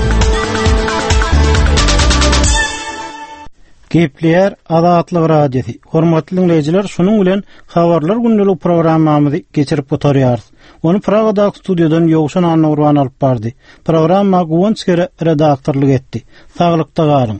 Gepleýär Azatlyk Radiosy. Hormatly dinleýjiler, şunuň bilen habarlar gündelik programmamyzy geçirip gutarýarys. Ony Pragadaky studiýadan Ýowşan Annagurban alyp bardy. Programma Guwanç Kere redaktorlyk etdi. Saglykda galyň.